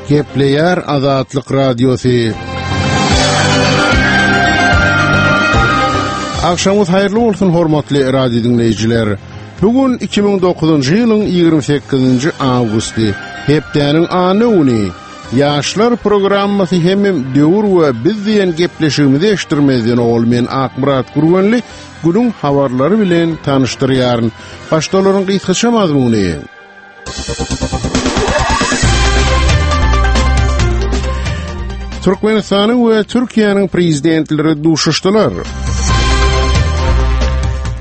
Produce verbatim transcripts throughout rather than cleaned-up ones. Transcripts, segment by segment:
Gepleýär Azatlyk Radiosy. Agşamyňyz haýyrly bolsun hormatly radio diňleýjiler. Bu gün iki müň dokuzynjy ýylyň ýigrimi sekizinji awgusty, hepdäniň anna güni. Ýaşlar programmasy hemem döwür we biz diýen gepleşigimizi eşitdirmezden owal men Akmyrat Gürgenli günüň habarlary bilen tanyşdyrýaryn. Başda olaryň gysgaça mazmuny. Türkmenistanyň we Türkiýäniň prezidentleri duşuşdylar.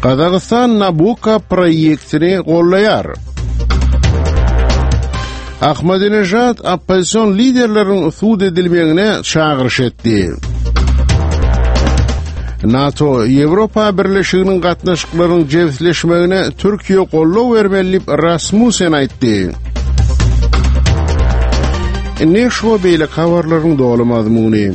Gazagystan Nabucco proýektini gollaýar. Ahmadinejad oppozision liderleriň sud edilmegine çagyryş etdi. NATO Ýewropa Birleşiginiň gatnaşyklaryň jebisleşmegine Türkiýe goldaw bermeli diýip Rasmussen aýtdy. Indi şu beýleki habarlaryň doly mazmuny.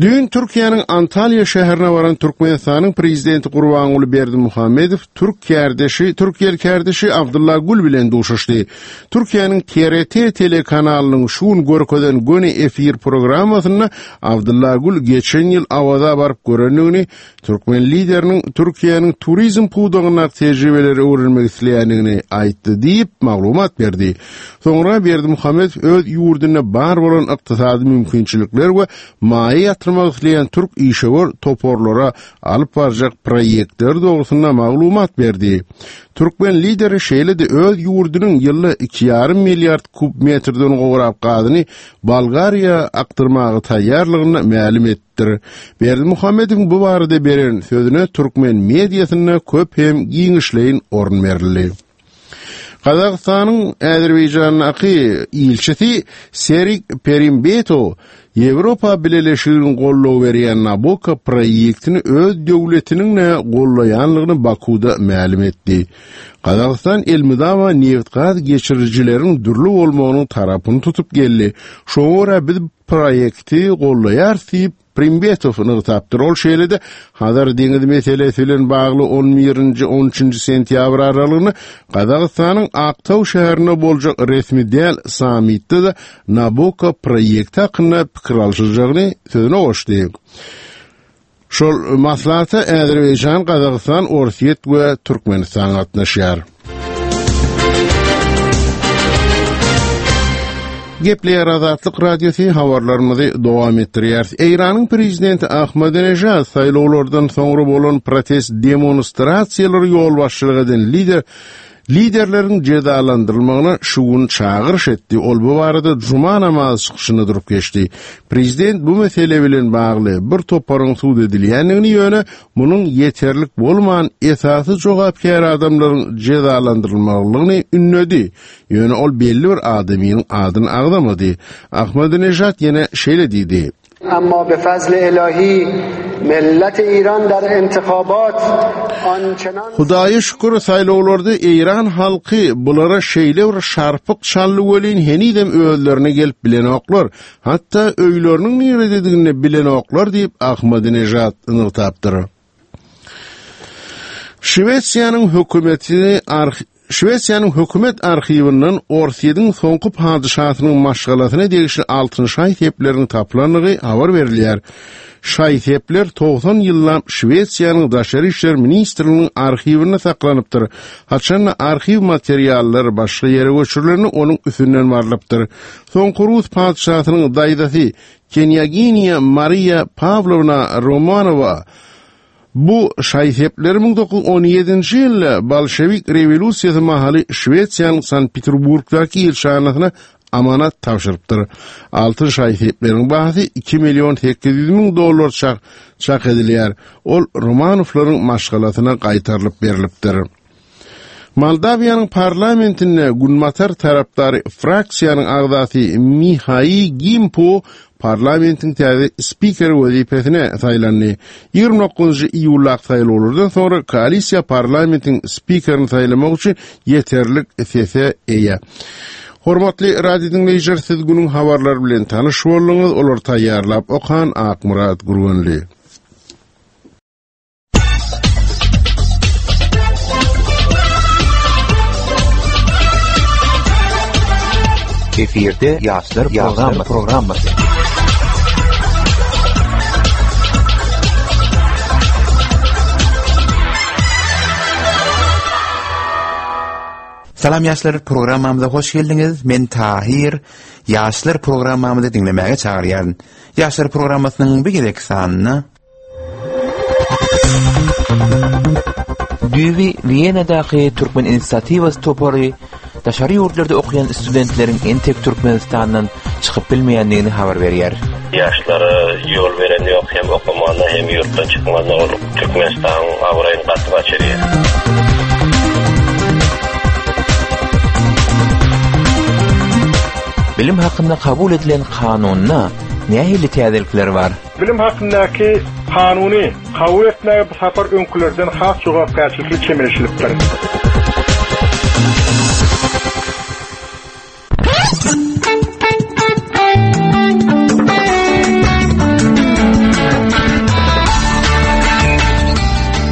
Düýn Türkiýäniň Antalýa şäherine baran Türkmenistanyň Prezidenti Gurbanguly Berdimuhamedow türk kärdeşi, türkiýeli kärdeşi Abdylla Gül bilen duşuşdy. Türkiýäniň T R T telekanalynyň şu gün görkezen göni efir programmasynda Abdylla Gül geçen ýyl Awaza baryp görendigini, türkmen lideriniň Türkiýäniň turizm pudagyndaky tejribeleri öwrenmek isleýändigini aýtdy diýip maglumat berdi. Soňra Berdimuhamedow öz ýurdunda bar bolan ykdysady mümkinçilikler we maýa ýatyrmak isleýän türk işewür toparlara alyp barjak proýektler dogrusynda maglumat berdi. Türkmen lideri şeýle-de öz ýurdunyň ýylda iki ýarym milliard kub metrden gowrak gazyny Bolgariýa akdyrmaga taýýarlygyny mälim etdir. Berdimuhamedowyň bu barada beren sözüne türkmen mediasynda köp hem giňişleýin orun berildi. Gazagystanyň Azerbaýjandaky ilçisi Serik Perimbeto Ýewropa Bileleşiginiň goldaw berýän Nabucco proýektini öz döwletiniň-de gollaýanlygyny Bakuda mälim etdi. Gazagystan elmydama neft-gaz geçirijileriň dürli bolmagynyň tarapyny tutup geldi. Şoňa görä biz proýekti gollaýarys diýip Primbetow nygtapdyr. Ol şeýle-de Hazar deňizi meselesi bilen bagly on birinji, on üçünji sentýabr aralygynda Gazagystanyň Aktau şäherinde boljak resmi däl sammitde-de Nabucco proýekti hakynda pikir alşyljagyny sözüne goşdy. Şol maslahata Azerbaýjan, Gazagystan, Orsýet we Türkmenistan gatnaşýar. Gepleýär Azatlyk Radiosy habarlarymyzy dowam etdirýär. Eýranyň prezidenti Ahmadinejad saýlawlardan soňra bolan protest demonstrasiýalary ýolbaşçylyk eden lider liderleriň jezalandyrylmagyna şu gün çagyryş etdi. Ol bu barada cuma namazy çykyşynda durup geçdi. Prezident bu mesele bilen bagly bir toparyň sud edilýändigini ýöne munuň ýeterlik bolman esasy jogapkär adamlaryň jezalandyrylmagyny ündedi. Ýöne ol belli bir adamyň adyny agzamady. Ahmadinejad ýene şeýle diýdi. Amma be fazl ilahi millet İran dar intihabat ançenan Hudaýa şükür saýlawlarda Eýran halky bulara şeýle bir şarpyk çaldy welin henizem özlerine gelip bilenoklar. Hatda öýleriniň nirededigini bilenoklar diýip Ahmadinejad nygtapdyr. Şwesiýanyň hökümeti arh-, Şwesiýanyň hökümet arhiwinden Orsýetiň soňky padyşasynyň maşgalasyna degişli altyn şaý-sepleriniň tapylandygy habar berilýär. Şaý-sepler togsan ýyllap Şwesiýanyň Daşary işler ministrliginiň arhiwinde saklanypdyr. Haçanda arhiw materiallary başga ýere göçürilende onuň üstünden barlypdyr. Soňky Rus padyşasynyň daýzasy Knýaginiýa Mariýa Pawlowna Romanowa bu şaý-sepleri müň dokuz ýüz on ýedinji ýylda Bolşewik rewolýusiýasy mahaly Şwesiýanyň Sankt-Peterburgdaky ilçihanasyna amanat tabşyrypdyr. Altyn şaý-sepleriň bahasy iki million sekiz ýüz müň dollar çak, çak edilýär. Ol Romanowlaryň maşgalasyna gaýtarylyp berilipdir. Moldawiýanyň parlamentinde Günbatar tarapdary fraksiýanyň agzasy Mihai Gimpu parlamentiň täze spikeri wezipesine saýlandy. Ýigrimi dokuzynjy iýuldaky saýlawlardan soňra koalisiýa parlamentiň spikerini saýlamak üçin ýeterlik sese eýe. Hormatly radio diňleýjiler, siz günüň habarlary bilen tanyş bolduňyz. Olar taýýarlap okan Akmyrat Gürgenli. Efirde Ýaşlar programmasy. Salam Ýaşlar programmamyza hoş geldiňiz. Men Tahir. Ýaşlar programmamyzy diňlemäge çagyrýaryn. Ýaşlar programmasynyň bir gezek sanyna Düýbi Wienadaky Türkmen Inisiatiwasy topary daşary ýurtlarda okuýan studentleriň entek Türkmenistandan çykyp bilmeýändigini habar berýär. Ýaşlara ýol beren ýok, hem okumana hem ýurtdan çykmana ol Türkmenistanyň abraýyny gaty gaçyrýar. Bilim hakynda kabul edilen kanunda nähili täzelikler bar? Bilim hakyndaky kanuny kabul etmäge bu sapar öňkülerden has jogapkärçilikli çemeleşilipdir.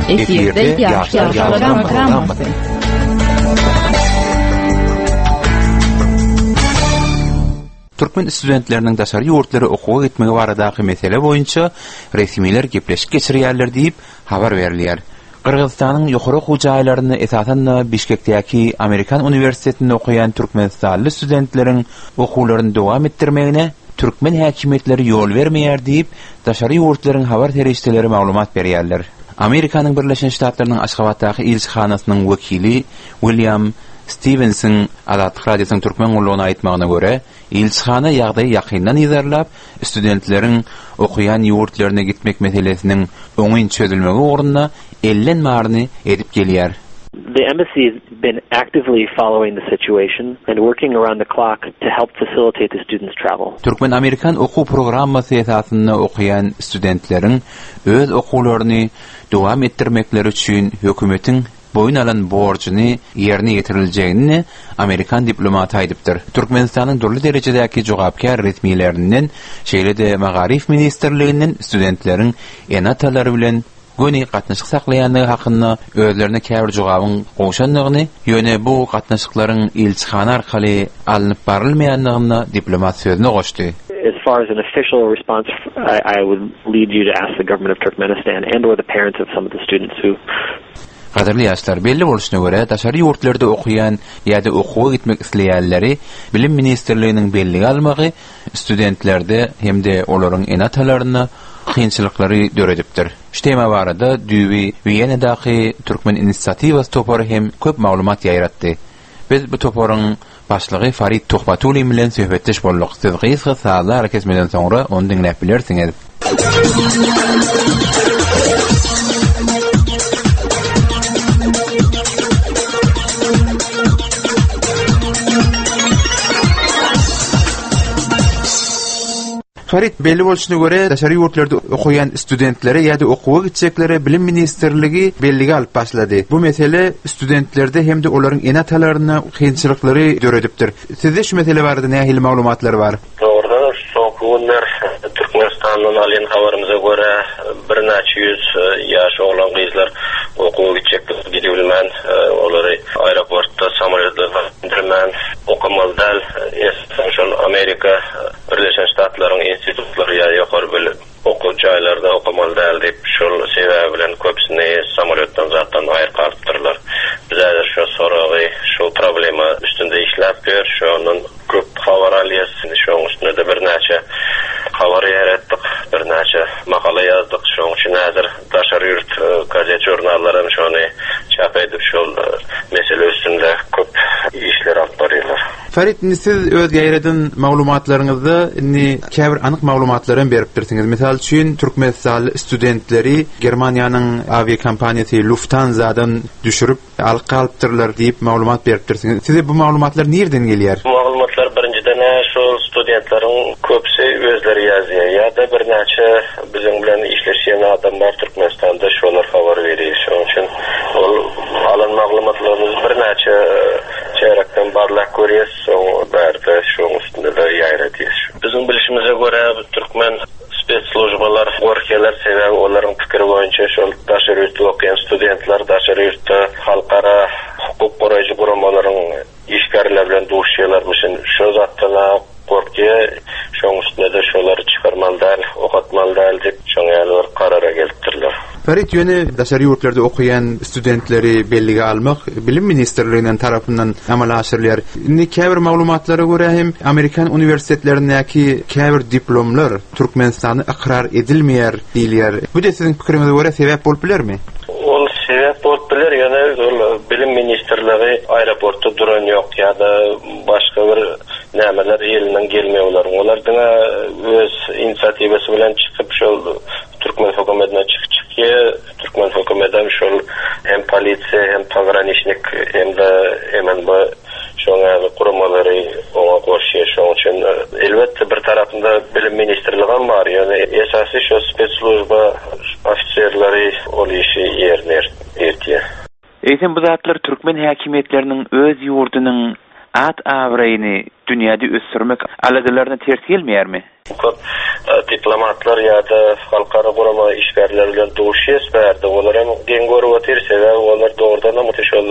Efirde Ýaşlar programmasy. Türkmen studentleriniň daşary ýurtlara okuwa gitmegi baradaky mesele boýunça resmiler gepleşik geçirýärler diýip habar berilýär. Gyrgyzystanyň ýokary okuw jaýlarynda esasan-da Bişkekdäki Amerikan uniwersitetinde okaýan türkmenistanly studentleriň okuwlaryny dowam etdirmegine türkmen häkimiýetleri ýol bermeýär diýip daşary ýurtlaryň habar serişdeleri maglumat berýärler. Amerikanyň Birleşen Ştatlarynyň Aşgabatdaky ilçihanasynyň wekili William Stevenson Azatlyk Radiosynyň türkmen gullugyna aýtmagyna görä, ilçihana ýagdaýy ýakyndan yzarlap, studentleriň okuýan ýurtlaryna gitmek meselesiniň oňyn çözülmegi ugrunda ellen baryny edip gelýär. The embassy has been actively following the situation and working around the clock to help facilitate the students' travel. Türkmen-Amerikan okuw programmasy esasynda okuýan studentleriň öz okuwlaryny dowam etdirmekleri üçin hökümetiň boýun alan borjuny ýerine ýetiriljegini Amerikan diplomaty aýdypdyr. Türkmenistanyň dürli derejedäki jogapkär resmilerinden, şeýle-de Magaryf ministrliginden studentleriň ene-atalary bilen göni gatnaşyk saklaýandygy hakynda özlerine käbir jogabyň gowşandygyny, ýöne bu gatnaşyklaryň ilçihana arkaly alnyp barylmaýandygyny diplomat sözüne goşdy. As far as an official response, I, I would lead you to ask the government of Turkmenistan and or the parents of some of the students who Gadyrly ýaşlar, belli bolşuna görä, daşary ýurtlarda okuýan ýa-da okuwa gitmek isleýänleri Bilim ministrliginiň bellige almagy studentlerde hem-de olaryň ene-atalarynda kynçylyklary döredipdir. Şu tema barada düýbi Wienadaky Türkmen Inisiatiwasy topary hem köp maglumat ýaýratdy. Biz bu toparyň başlygy Farid Tuhbatullin bilen söhbetdeş bolduk. Siz gysga sazly arakesmeden soňra ony diňläp bilersiňiz. Farid, belli bolşuna görä, daşary ýurtlarda okuýan studentlere ýa-da okuwa gitjeklere Bilim ministrligi bellige alyp başlady. Bu mesele studentlerde hem-de olaryň ene-atalaryna kynçylyklary döredipdir. Sizde şu mesele barada nähili maglumatlar bar? Dogrudan soňky günler Türkmenistandan alýan habarymyza görä birnäçe ýüz ýaş oglan gyzlar okuwa gitjek gidibilmän, olary aeroportda samolýotlarda indirmän okamaly däl. Esasan şol Amerika Birleşen Ştatlaryň institutlary ýa ýokary bilim okuw jaýlarda okamaly däl diýip, şol sebäbi bilen köpüsini samolýotdan zatdan aýryp galypdyrlar. Biz häzir şu soragy, şu problema üstünde işläp ýör, şondan köp habar alýas. Şoň üstünde de birnäçe habar ýaratdyk, birnäçe makala ýazdyk. Şoň üçin häzir daşary ýurt gazet žurnallary hem şony çap edip, şol mesele üstünde köp işler alyp barýarlar. Farid, indi siz öz ýaýradan maglumatlaryňyzda indi käbir anyk maglumatlary hem beripdirsiňiz. Mysal üçin, Türkmenistanly studentleri Germaniýanyň awiakompaniýasy Lufthansa'dan düşürip alyp galypdyrlar diýip maglumat beripdirsiňiz. Size bu maglumatlar nirden gelýär? Bu maglumatlar birinjiden şu studentleriň köpüsi özleri ýazýar ýa-da birnäçe biziň bilen işleşýän adamlar Türkmenistanda şolar habar berýär. Şonuň üçin ol alan maglumatlarymyz birnäçe çärekden barlap görýäs, soň bärde şoň üstünde de ýaýradýas. Biziň bilişimize görä türkmen spetsslujbalar gorkýarlar, sebäbi olaryň pikiri boýunça şol daşary ýurtda okuýan studentler daşary ýurtda halkara hukuk goraýjy guramalaryň işgärler bilen duşýarlarmyşyn. Şo zatdan Ferit ýöne daşary ýurtlarda okaýan studentleri bellige almak Bilim ministrliginden tarapyndan amala aşyrylýar. Indi käbir maglumatlara görä hem Amerikan uniwersitetlerindäki käbir diplomlar Türkmenistanda ykrar edilmeýär diýilýär. Bu-da siziň pikiriňize görä sebäp bolup bilermi? Ol sebäp bolup biler, ýöne ol Bilim ministrligi aeroportda duran ýok ýa-da başga bir nämeler elinden gelmeýär olaryň. Olar diňe öz inisiatiwasy bilen çykyp şol türkmen hökümetine çykyp çykýar. Türkmen hökümetem şol hem polisiýa hem pograniçnik hem-de M N B şoň ýaly guramalary oňa goşýar. Şoň üçin elbetde bir tarapynda Bilim ministrligi bar. Ýöne esasy şo spetsslujba ofiserleri ol işi ýerine ýetirýär. Eýsem bu zatlar türkmen häkimiýetleriniň öz ýurdunyň at abraýyny dünýäde ösdürmek aladalaryna ters gelmeýärmi? Köp diplomatlar ýa-da halkara gurama işgärleri bilen duşýas bärde. Olar hem geň görüp otyr, sebäbi olar dogrudan hem şol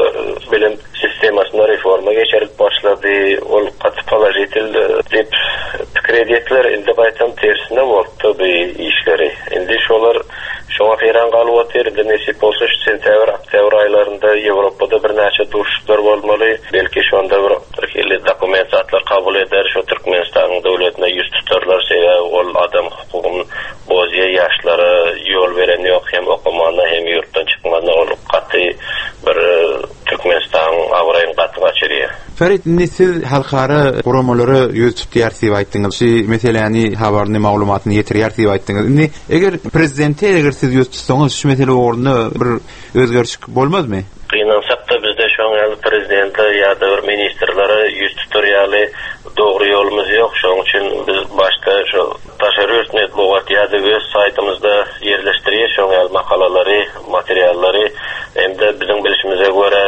bilim sistemasynda reforma geçirilip başlady. Ol gaty položitel diýip pikir edýärler. Indi gaýtam tersine boldy bu işleri. Indi şolar şoňa haýran galyp otyr. Indi nesip bolsa şu sentýabr, oktýabr aýlarynda Ýewropada birnäçe duşuşyklar bolmaly. Belki şonda bir hili dokument zatlar kabul eder, şu Türkmenistanyň döwletine ýüz tutarlar. Sebäbi ol adam hukugyny bozýar, ýaşlara ýol beren ýok, hem okumana hem ýurtdan çykmana ol gaty bir Türkmenistanyň abraýyny gaty gaçyrýar. Ferit, indi siz halkara guramalara ýüz tutýar diýip aýtdyňyz. Şu meseläni habaryny, maglumatyny ýetirýär diýip aýtdyňyz. Indi eger prezidente eger siz ýüz tutsaňyz şu mesele ugrunda bir özgerişik bolmazmy? Gynansak da bizde şoň ýaly prezidentler ýa-da bir ministrlere ýüz tutar ýaly dogry ýolumyz ýok. Şoň üçin biz başda şu daşary ýurt metbugat ýa-da öz saýtymyzda ýerleşdirýär şoň ýaly makalalary, materiallary. Hem-de biziň bilişimize görä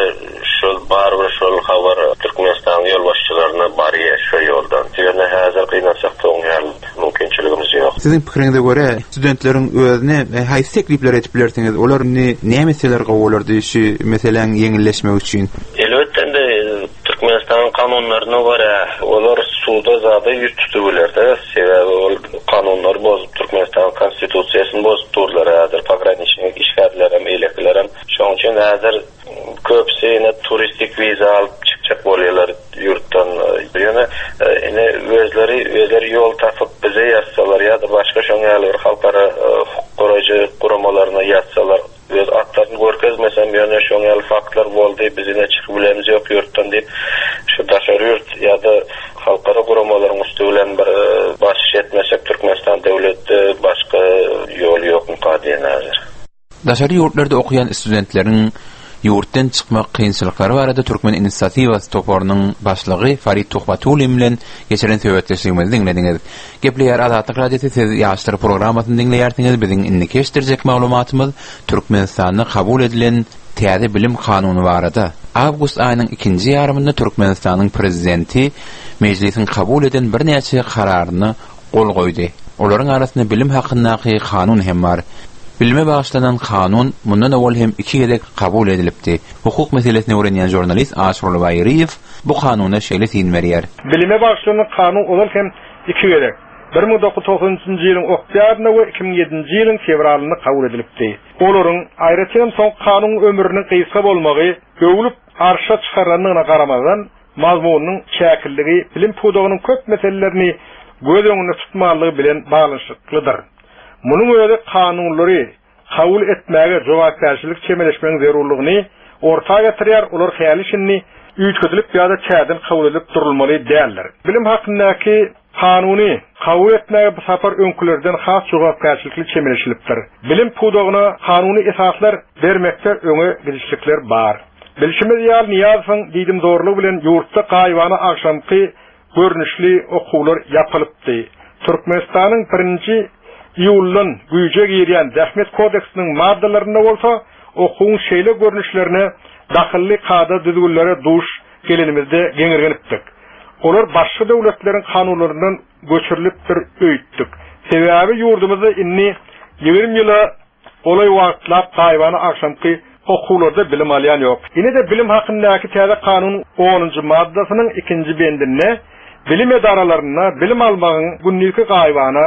şol bar bir şol habar Türkmenistanyň ýolbaşçylaryna barýar şu ýoldan. Ýöne häzir gynansak da oň ýaly mümkinçiligimiz ýok. Siziň pikiriňize görä studentleriň özüne haýsy teklipler edip bilersiňiz? Olar indi näme meseleler gowy şu meseläň ýeňilleşmegi üçin? Elbetde indi Türkmenistanyň kanunlaryna görä olar suda zada ýüz tutup bilerdi. Sebäbi ol kanunlary bozup Türkmenistanyň konstitusiýasyny bozup durlar häzir pograniçnik işgärler hem eýlekiler hem. Şoň üçin häzir köpüsi ýene turistik wiza alyp çykjak bolýarlar ýurtdan. Ýöne ine özleri özleri ýol tapyp bize ýazsalar ýa-da başga şoň ýaly bir halkara hukuk goraýjy guramalaryna ýazsalar, öz atlaryny görkezmesem, ýöne şoň ýaly faktlar boldy, biz ine çykyp bilemizok ýok ýurtdan diýip, şu daşary ýurt ýa-da halkara guramalaryň üstü bilen bir basyş etmesek Türkmenistan döwletde başga ýol ýokmuka diýen häzir. Daşary ýurtlarda okaýan studentleriň ýurtdan çykmak kynçylyklary barada Türkmen inisiatiwasy toparynyň başlygy Farid Tuhbatullin bilen geçiren söhbetdeşligimizi diňlediňiz. Gepleýär Azatlyk Radiosy, siz ýaşlar programmasyny diňleýärsiňiz. Biziň indiki eşitdirjek maglumatymyz Türkmenistanda kabul edilen täze bilim kanuny barada. Awgust aýynyň ikinji ýarymynda Türkmenistanyň prezidenti mejlisiň kabul eden birnäçe kararyna gol goýdy. Olaryň arasynda bilim hakyndaky kanun hem bar. Bilime bagyşlanan kanun mundan owal hem iki gezek kabul edilipdi. Hukuk meselesini öwrenýän žurnalist Aşurly Baýryýew bu kanuna şeýle syn berýär. Bilime bagyşlanan kanun ozal hem iki gezek bir müň dokuz ýüz togsanynjy ýylyň oktýabrynda we iki müň ýedinji ýylyň fewralynda kabul edilipdi. Olaryň aýratyn soň kanunyň ömrüniň gysga bolmagy öwlüp arşa çykarylandygyna garamazdan mazmunynyň çäkliligi bilim pudagynyň köp meselelerini göz öňünde tutmalygy bilen baglanyşyklydyr. Munuň özi kanunlary kabul etmäge jogapkärçilik çemeleşmegiň zerurlygyny orta getirýär, olar häli şindi üýtgedilip ýa-da täzeden kabul edilip durulmaly däldir. Bilim hakyndaky kanuny kabul etmäge bu sapar öňkülerden has jogapkärçilikli çemeleşilipdir. Bilim pudagyna kanuny esaslar bermekde öňe gidişlikler bar. Bilşimiz ýaly Niýazowyň diýdim zorlugy bilen ýurtda gaýybana agşamky görnüşli okuwlar ýapylypdy. Türkmenistanyň birinji iýuldan güýje girýän Zähmet kodeksiniň maddalarynda bolsa okuwyň şeýle görnüşlerine dahylly kada düzgünlere duş gelenimizde geňirgenipdik. Olar başga döwletleriň kanunlaryndan göçürilipdir öýtdük. Sebäbi ýurdumyzda indi ýigrimi ýyla golaý wagtlap gaýybana agşamky okuwlarda bilim alýan ýok. Ine-de bilim hakyndaky täze kanunyň onunjy maddasynyň ikinji bendinde bilim edaralarynda bilim almagyň gündizki gaýybana,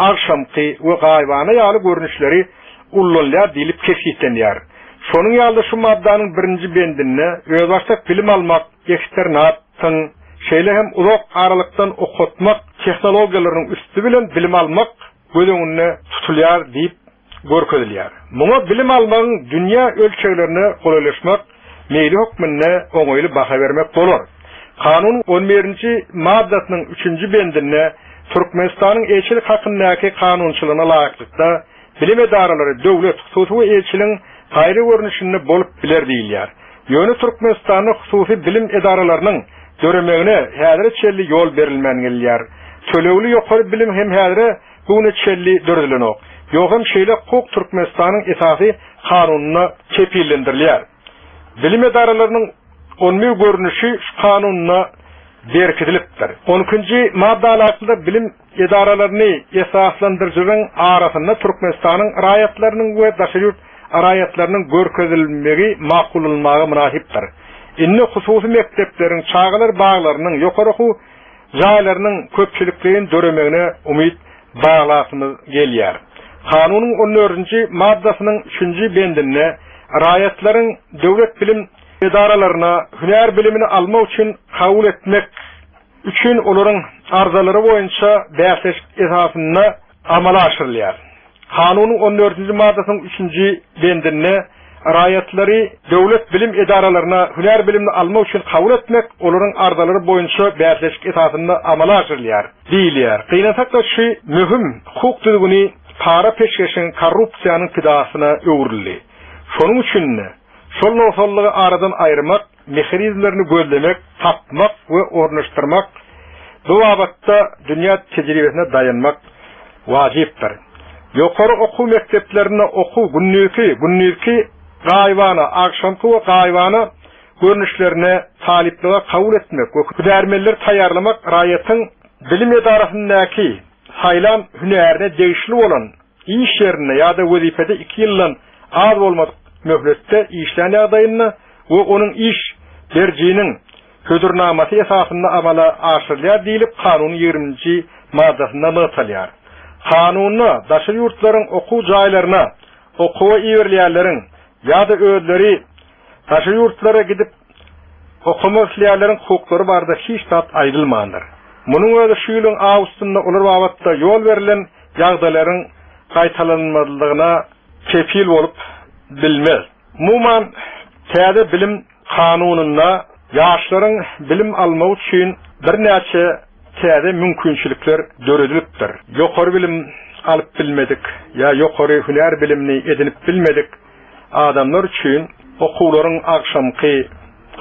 agşamky we gaýybana ýaly görnüşleri ulanylýar diýlip kesgitlenýär. Şonuň ýaly şu maddanyň birinji bendinde özbaşdak bilim almak, eksternat, şeýle hem uzak aralykdan okatmak tehnologiýalarynyň üsti bilen bilim almak göz öňünde tutulýar diýip görkezilýär. Muňa bilim almagyň dünýä ölçeglerine golaýlaşmak meýli hökmünde oňaýly baha bermek bolar. Kanun on birinji maddasynyň üçünji bendinde Türkmenistanyň elçilik hakyndaky kanunçylygyna laýyklykda bilim edaralary döwlet, hususy we elçiligiň gaýry görnüşinde bolup biler diýilýär. Ýöne Türkmenistanda hususy bilim edaralarynyň döremegine häzire çenli ýol berilmän gelýär. Tölegli ýokary bilim hem häzire bugüne çenli döredilenok. Ýogam şeýle hukuk Türkmenistanyň esasy kanunyna kepillendirilýär. Bilim edaralarynyň on bir görnüşi şu kanununa berkidilipdir. On ikinji madda laýyklykda bilim edaralaryny esaslandyryjylaryň arasynda Türkmenistanyň raýatlarynyň we daşary ýurt raýatlarynyň görkezilmegi makullanmaga mynasypdyr. Indi hususy mekdepleriň, çagalar baglarynyň, ýokary okuw jaýlarynyň köpçülikleýin döremegine umyt baglasymyz gelýär. Kanunyň on dördünji maddasynyň üçünji bendinde raýatlaryň döwlet bilim edaralaryna hünär bilimini almak üçin kabul etmek üçin olaryň arzalary boýunça bäsleşik esasynda amala aşyrylýar. Kanunyň on dördünji maddasynyň üçünji bendinde raýatlary döwlet bilim edaralaryna hünär bilimini almak üçin kabul etmek olaryň arzalary boýunça bäsleşik esasynda amala aşyrylýar diýilýär. Gynansak-da şu möhüm hukuk düzgüni para peşgeşiň korrupsiýanyň pidasyna öwrüldi. Şonuň üçin şol nogsanlygy aradan aýyrmak, mehanizmlerini gözlemek, tapmak we ornaşdyrmak bu babatda dünýä tejribesine daýanmak wajypdyr. Ýokary okuw mekdeplerinde okuw günlüki, günlüki gaýybana, agşamky we gaýybana görnüşlerine talyplyga kabul etmek we hünärmenleri taýýarlamak raýatyň bilim edarasyndaky saýlan hünärine degişli bolan iş ýerinde ýa-da wezipede iki ýyldan az bolmadyk möhletde işlän ýagdaýynda we onuň iş berjiniň hödürnamasy esasynda amala aşyrylýar diýlip kanunyň ýigriminji maddasynda nygtalýar. Kanunda daşary ýurtlaryň okuw jaýlaryna okuwa iberilýänleriň ýa-da özleri daşary ýurtlara gidip okumak isleýänleriň hukuklary barada hiç zat aýdylmandyr. Munuň özi şu ýylyň awgustynda olar babatda ýol berlen ýagdaýlaryň gaýtalanmazlygyna kepil bolup bilmez. Umuman täze bilim kanunynda ýaşlaryň bilim almagy üçin birnäçe täze mümkinçilikler döredilipdir. Ýokary bilim alyp bilmedik ýa ýokary hünär bilimini edinip bilmedik adamlar üçin okuwlaryň agşamky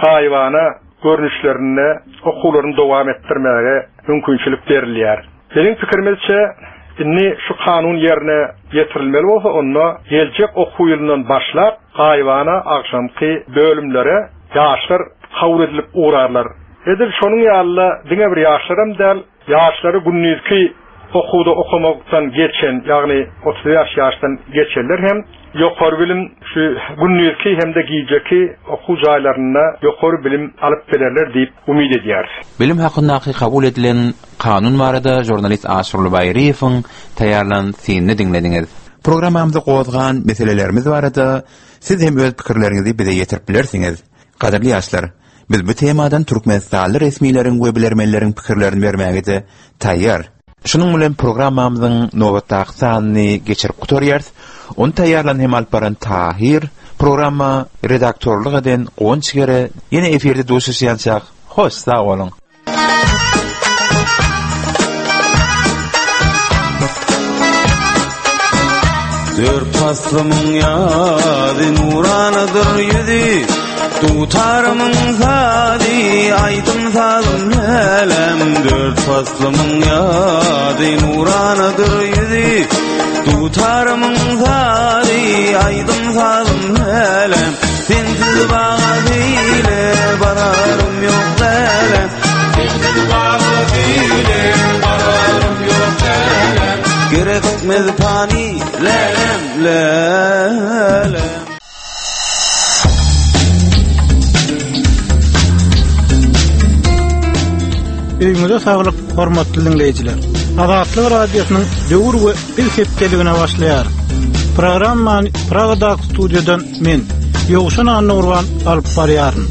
gaýybana görnüşlerinde okuwlaryny dowam etdirmäge mümkinçilik berilýär. Biziň pikirimizçe indi şu kanun ýerine ýetirilmeli bolsa onda geljek okuw ýylyndan başlap gaýybana agşamky bölümlere ýaşlar kabul edilip ugrarlar. Edil şonuň ýaly diňe bir ýaşlaram däl, ýaşlary gündizki okuwda okamakdan geçen, ýagny otuz bäş ýaşdan geçenler hem ýokary bilim şu gündizki hem-de gijeki okuw jaýlarynda ýokary bilim alyp bilerler diýip umyt edýäris. Bilim hakyndaky kabul edilen kanun barada jurnalist Aşurly Baýryýewiň taýýarlan synyny diňlediňiz. Programmamyzda gozgan meselelerimiz barada siz hem öz pikirleriňizi bize ýetirip bilersiňiz. Gadyrly ýaşlar, biz bu temadan Türkmenistanly resmileriň we bilermenleriň pikirlerini bermäge taýýar. Şunuň bilen programmamyzyň nobatdaky sanyny geçirip gutarýarys. Ony taýýarlan hem alyp baran Tahir, programma redaktorlyk eden Guwanç Gere, ýene efirde duşuşýançak, hoş sag boluň. Dört paslymyň ýazy nuranadyr ýüzi, dutarymyň sazy, aýdym sazym lälem. Dört paslymyň ýazy nuranadyr ýüzi, dutarymyň sazy, aýdym sazym lälem. Sensiz baga beýle bararym ýok lälem. Sensiz baga beýle bararym ýok lälem. Gerekmez pani lälem, lälem. Öýüňize saglyk, hormatly dinleýjiler. Azatlyk radiosynyň döwür we biz hepdeligine başlaýar. Programmany Pragadaky studiýadan men Ýowşan Annurban alyp barýaryn.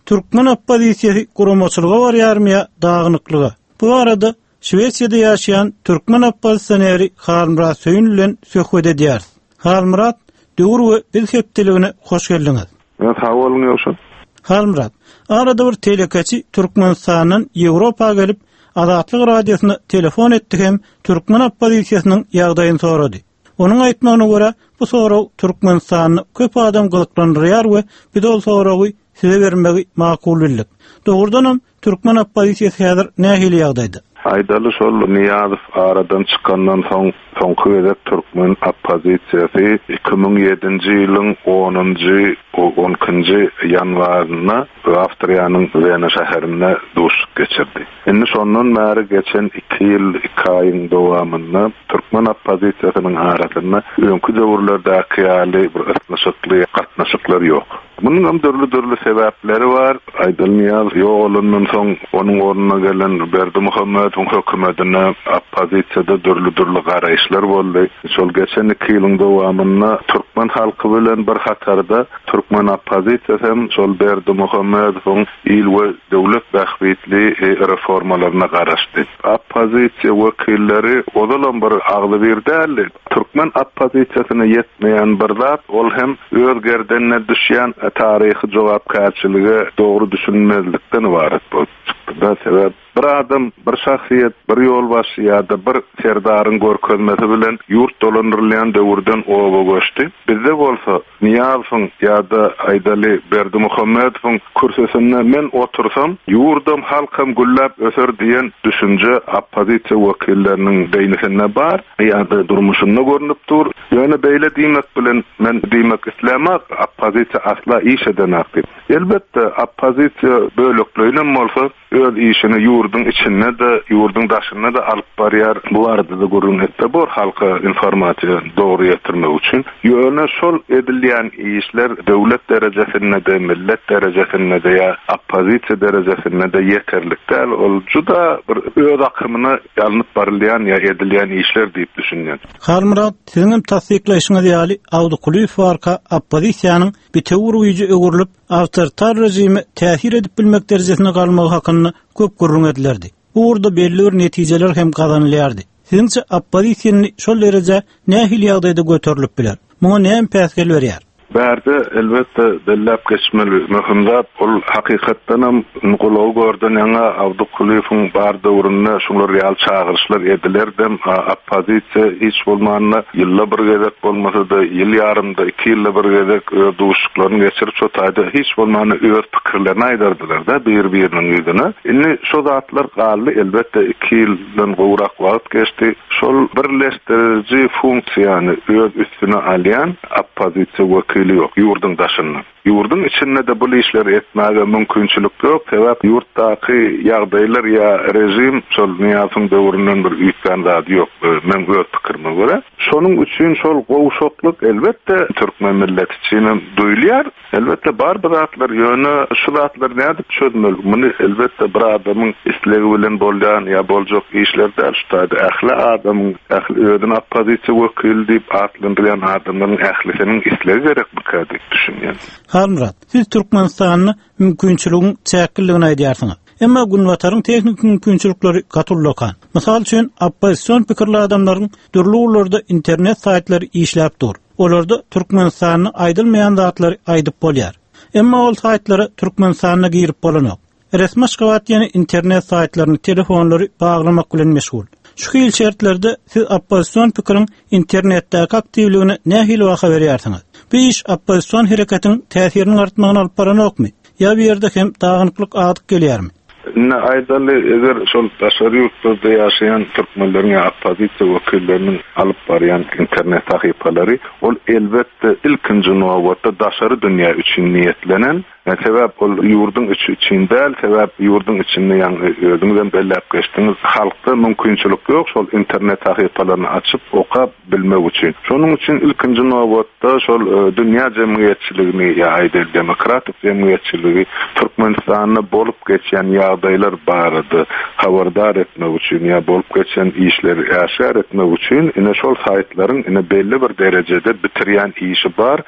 Türkmen oppozisiýasy guramaçylyga barýarmy ýa dagynyklyga? Bu arada Şwesiýada ýaşaýan türkmen oppozisioneri Halmyrat Söýün bilen söhbet edýäris. Halmyrat, döwür we biz hepdeligine hoş geldiňiz. Ya sag boluň Ýowşan. Halmyrat, arada bir telekeçi Türkmenistandan Ýewropa gelip Azatlyk radiosyna telefon etdi hem türkmen oppozisiýasynyň ýagdaýyny sorady. Onuň aýtmagyna görä, bu sorag Türkmenistanda köp adam gyzyklandyrýar we biz ol soragy size bermegi makul bildik. Dogrudanam türkmen oppozisiýasy häzir nähili ýagdaýda? Aýdaly şol Niýazow aradan çykandan soň soňky gezek türkmen oppozisiýasy iki müň ýedinji ýylyň onunjy, on ikinji ýanwarynda Awstriýanyň Wena şäherinde duşuşyk geçirdi. Indi şondan bäri geçen iki ýyl iki aýyň dowamynda türkmen oppozisiýasynyň arasynda öňki döwürlerdäki ýaly bir ysnyşykly gatnaşyklar ýok. Munuň hem dürli-dürli sebäpleri bar. Aýdaly Niýazow ýogalandan soň onuň ornuna gelen Berdimuhamedowyň hökümetine oppozisiýada dürli-dürli garaýyşlar boldy. Şol geçen iki ýylyň dowamynda türkmen halky bilen bir hatarda türkmen oppozisiýasy hem şol Berdimuhamedowyň il we döwlet bähbitli reformalaryna garaşdy. Oppozisiýa wekilleri ozalam bir agzy bir däldi. Türkmen oppozisiýasyna ýetmeýän bir zat, ol hem öz gerdenine düşýän taryhy jogapkärçilige dogry düşünmezlikden ibaret bolup çykdy. Da sebäp bir adam, bir şahsyýet, bir ýolbaşçy ýa-da bir serdaryň görkezmesi bilen ýurt dolandyrylýan döwürden oba göçdi. Bizde bolsa Niýazowyň ýa-da Aýdaly Berdimuhamedowyň kürsüsinde men otursam, ýurdum halkam gülläp öser diýen düşünje oppozisiýa wekilleriniň beýnisinde bar ýa-da durmuşynda görünip dur. Ýöne beýle diýmek bilen men diýmek islemek, oppozisiýa asla iş edenak diýip. Elbetde oppozisiýa bölekleýinem bolsa öz işini ýurduň içinde de, ýurduň daşynda da alyp barýar. Bu arada da gürrüň etse bor halka informasiýa dogry ýetirmek üçin. Ýöne şol edilýän işler döwlet derejesinde de, millet derejesinde de ýa oppozisiýa derejesinde de ýeterlik däl. Ol juda bir öz akymyna ýalnyp barylýan ýa edilýän işler diýip düşünýän. Halmyrat, siziň hem tassyklaýşyňyz ýaly Awdy Kulyýew barka oppozisiýanyň bitewür güýji öwrülip awtoritar rejime täsir edip bilmek derejesine galmagy hakynda köp gürrüň edilerdi. Bu ugurda belli bir netijeler hem gazanylýardy. Siziňçe oppozisiýany şol dereje nähili ýagdaýda göterilip biler? Muňa näme päsgel berýär? Bärde elbetde belläp geçmeli möhüm zat, ol hakykatdanam gulagy gördün ýaňa Awdy Kulyýewiň bar döwründe şular ýaly çagyryşlar edilerdim. Oppozisiýa hiç bolmanda ýylda bir gezek bolmasa-da ýyl ýarymda iki ýylda bir gezek öz duşuşyklaryny geçirip şo taýda hiç bolmanda öz pikirlerini aýdardylar da bir-biriniň ýüzüne. Indi şo zatlar galdy, elbetde iki ýyldan gowrak wagt geçdi. Şol birleşdiriji funksiýany öz üstüne alýan oppozisiýa wekili ýok ýurduň daşynda. Ýurduň içinde de bu işleri etmäge mümkinçilik ýok. Sebäp ýurtdaky ýagdaýlar ýa rejim şol Niýazowyň döwründen bir üýtgän zady ýok. Men öz pikirime görä. Şonuň üçin şol gowşaklyk elbetde türkmen milleti üçin hem duýulýar. Elbetde bar bu zatlar, ýöne şu zatlar nädip çözmeli? Muny elbetde bir adamyň islegi bilen bolýan ýa boljak işler däl. Şu taýda ähli adamyň, ähli özüni oppozisiýa wekili diýip atlandyrýan adamlaryň ählisiniň islegi gerekmikä diýip düşünýän. Halmyrat, siz Türkmenistanda mümkinçiligiň çäkliligini aýdýarsyňyz. Emma Günbataryň tehniki mümkinçilikleri gatullakan. Mysal üçin, oppozision pikirli adamlaryň dürli ugurlarda internet saýtlary işläp dur. Olarda Türkmenistanda aýdylmaýan zatlary aýdyp bolýar. Emma ol saýtlara Türkmenistanda girip bolanok. Resmi Aşgabat ýene internet saýtlaryny, telefonlary baglamak bilen meşgul. Şu hil şertlerde siz oppozision pikiriň internetdäki aktiwligine nähili baha berýärsiňiz? Bu iş oppozision hereketiň täsiriniň artmagyna alyp baranokmy? Ýa bir ýerde hem dagynyklyk adyk gelýärmi? Indi aýdaly, eger şol daşary ýurtlarda ýaşaýan türkmenleriň ýa oppozisiýa wekilleriniň alyp barýan internet sahypalary, ol elbetde ilkinji nobatda daşary dünýä üçin niýetlenen, Sebäp ol ýurduň içi üçin däl, sebäp ýurduň içinde ýaňy özüňizem belläp geçdiňiz, halkda mümkinçilik ýok şol internet sahypalaryny açyp okap bilmek üçin. Şonuň üçin ilkinji nobatda şol e, dünýä jemgyýetçiligini ýa aýdaly demokratik jemgyýetçiligi Türkmenistanda bolup geçýän ýagdaýlar barada habardar etmek üçin ýa bolup geçen işleri äşgär etmek üçin ine şol saýtlaryň ine belli bir derejede bitirýän işi bar.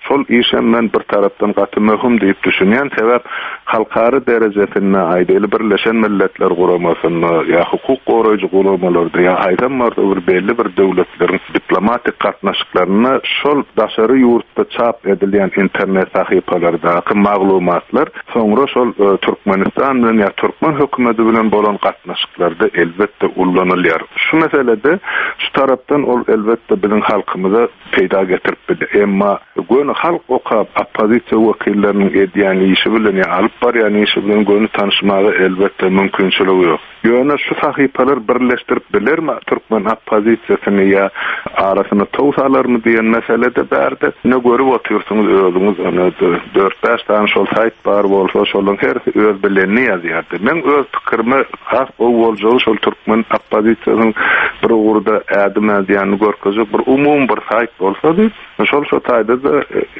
Şol işem men bir tarapdan gaty möhüm diýip düşünýän, sebäp halkara derejesinde aýdaly Birleşen Milletler Guramasynda ýa hukuk goraýjy guramalarda ýa haýsam bolsa bir belli bir döwletleriň diplomatik gatnaşyklarynda şol daşary ýurtda çap edilýän internet sahypalardaky maglumatlar soňra şol e, Türkmenistan bilen ýa türkmen hökümeti bilen bolan gatnaşyklarda elbetde ullanylýar. Şu meselede şu tarapdan ol elbetde biziň halkymyza peýda getirip biler. Emma göni halk okap oppozisiýa wekilleriniň edýän işi bilen ýa alyp barýan işi bilen göni tanışmaga elbetde mümkinçiligi ýok. Ýöne şu sahypalar birleşdirip bilermi türkmen oppozisiýasyny ýa arasyna tow salarmy diýen meselede bärde ne görüp otyrsyňyz özüňiz ony dört bäş tane şol saýt bar bolsa şolaryň hersi öz bilenini ýazýardy. Men öz pikirime has gowy boljagy şol türkmen oppozisiýasynyň bir ugurda ädim ädýänini görkezjek bir umumy bir saýt bolsady, şol şo taýda da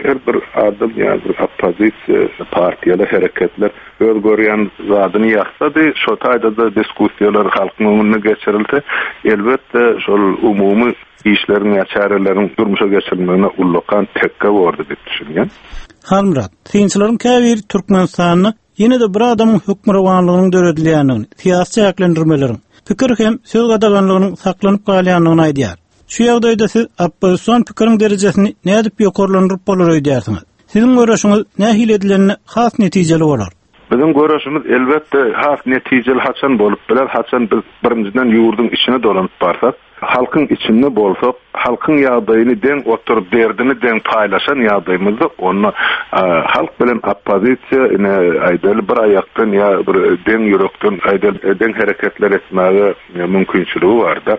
her bir adam ýa bir oppozisiýa partiýalar, hereketler öz görýän zadyny ýazsady, şo taýda da diskussiýalar halkyň öňünde geçirilse, elbetde şol umumy işleriň ýa çäreleriň durmuşa geçirilmegine ullakan tekge bordy diýip düşünýän. Halmyrat, synçylaryň käbiri Türkmenistanda ýene de bir adamyň hökmürowanlygynyň döredilýändigini, syýasy çäklendirmeleriň, pikir hem söz gadaganlygynyň saklanyp galýandygyny aýdýar. Şu ýagdaýda siz oppozision pikiriň derejesini nädip ýokarlandyryp bolar öýdýärsiňiz? Siziň görüşiňiz nähili edilenine has netijeli bolar? Biziň görüşimiz elbetde has netijeli haçan bolup biler, haçan biz birinjiden ýurduň içine dolanyp barsak, halkyň içinde bolsak, halkyň ýagdaýyny deň oturyp, derdini deň paýlaşan ýagdaýymyzda onda e, halk bilen oppozisiýa ine aýdaly bir aýakdan ýa bir deň ýürekden aýdaly deň hereketler etmäge mümkinçiligi barda.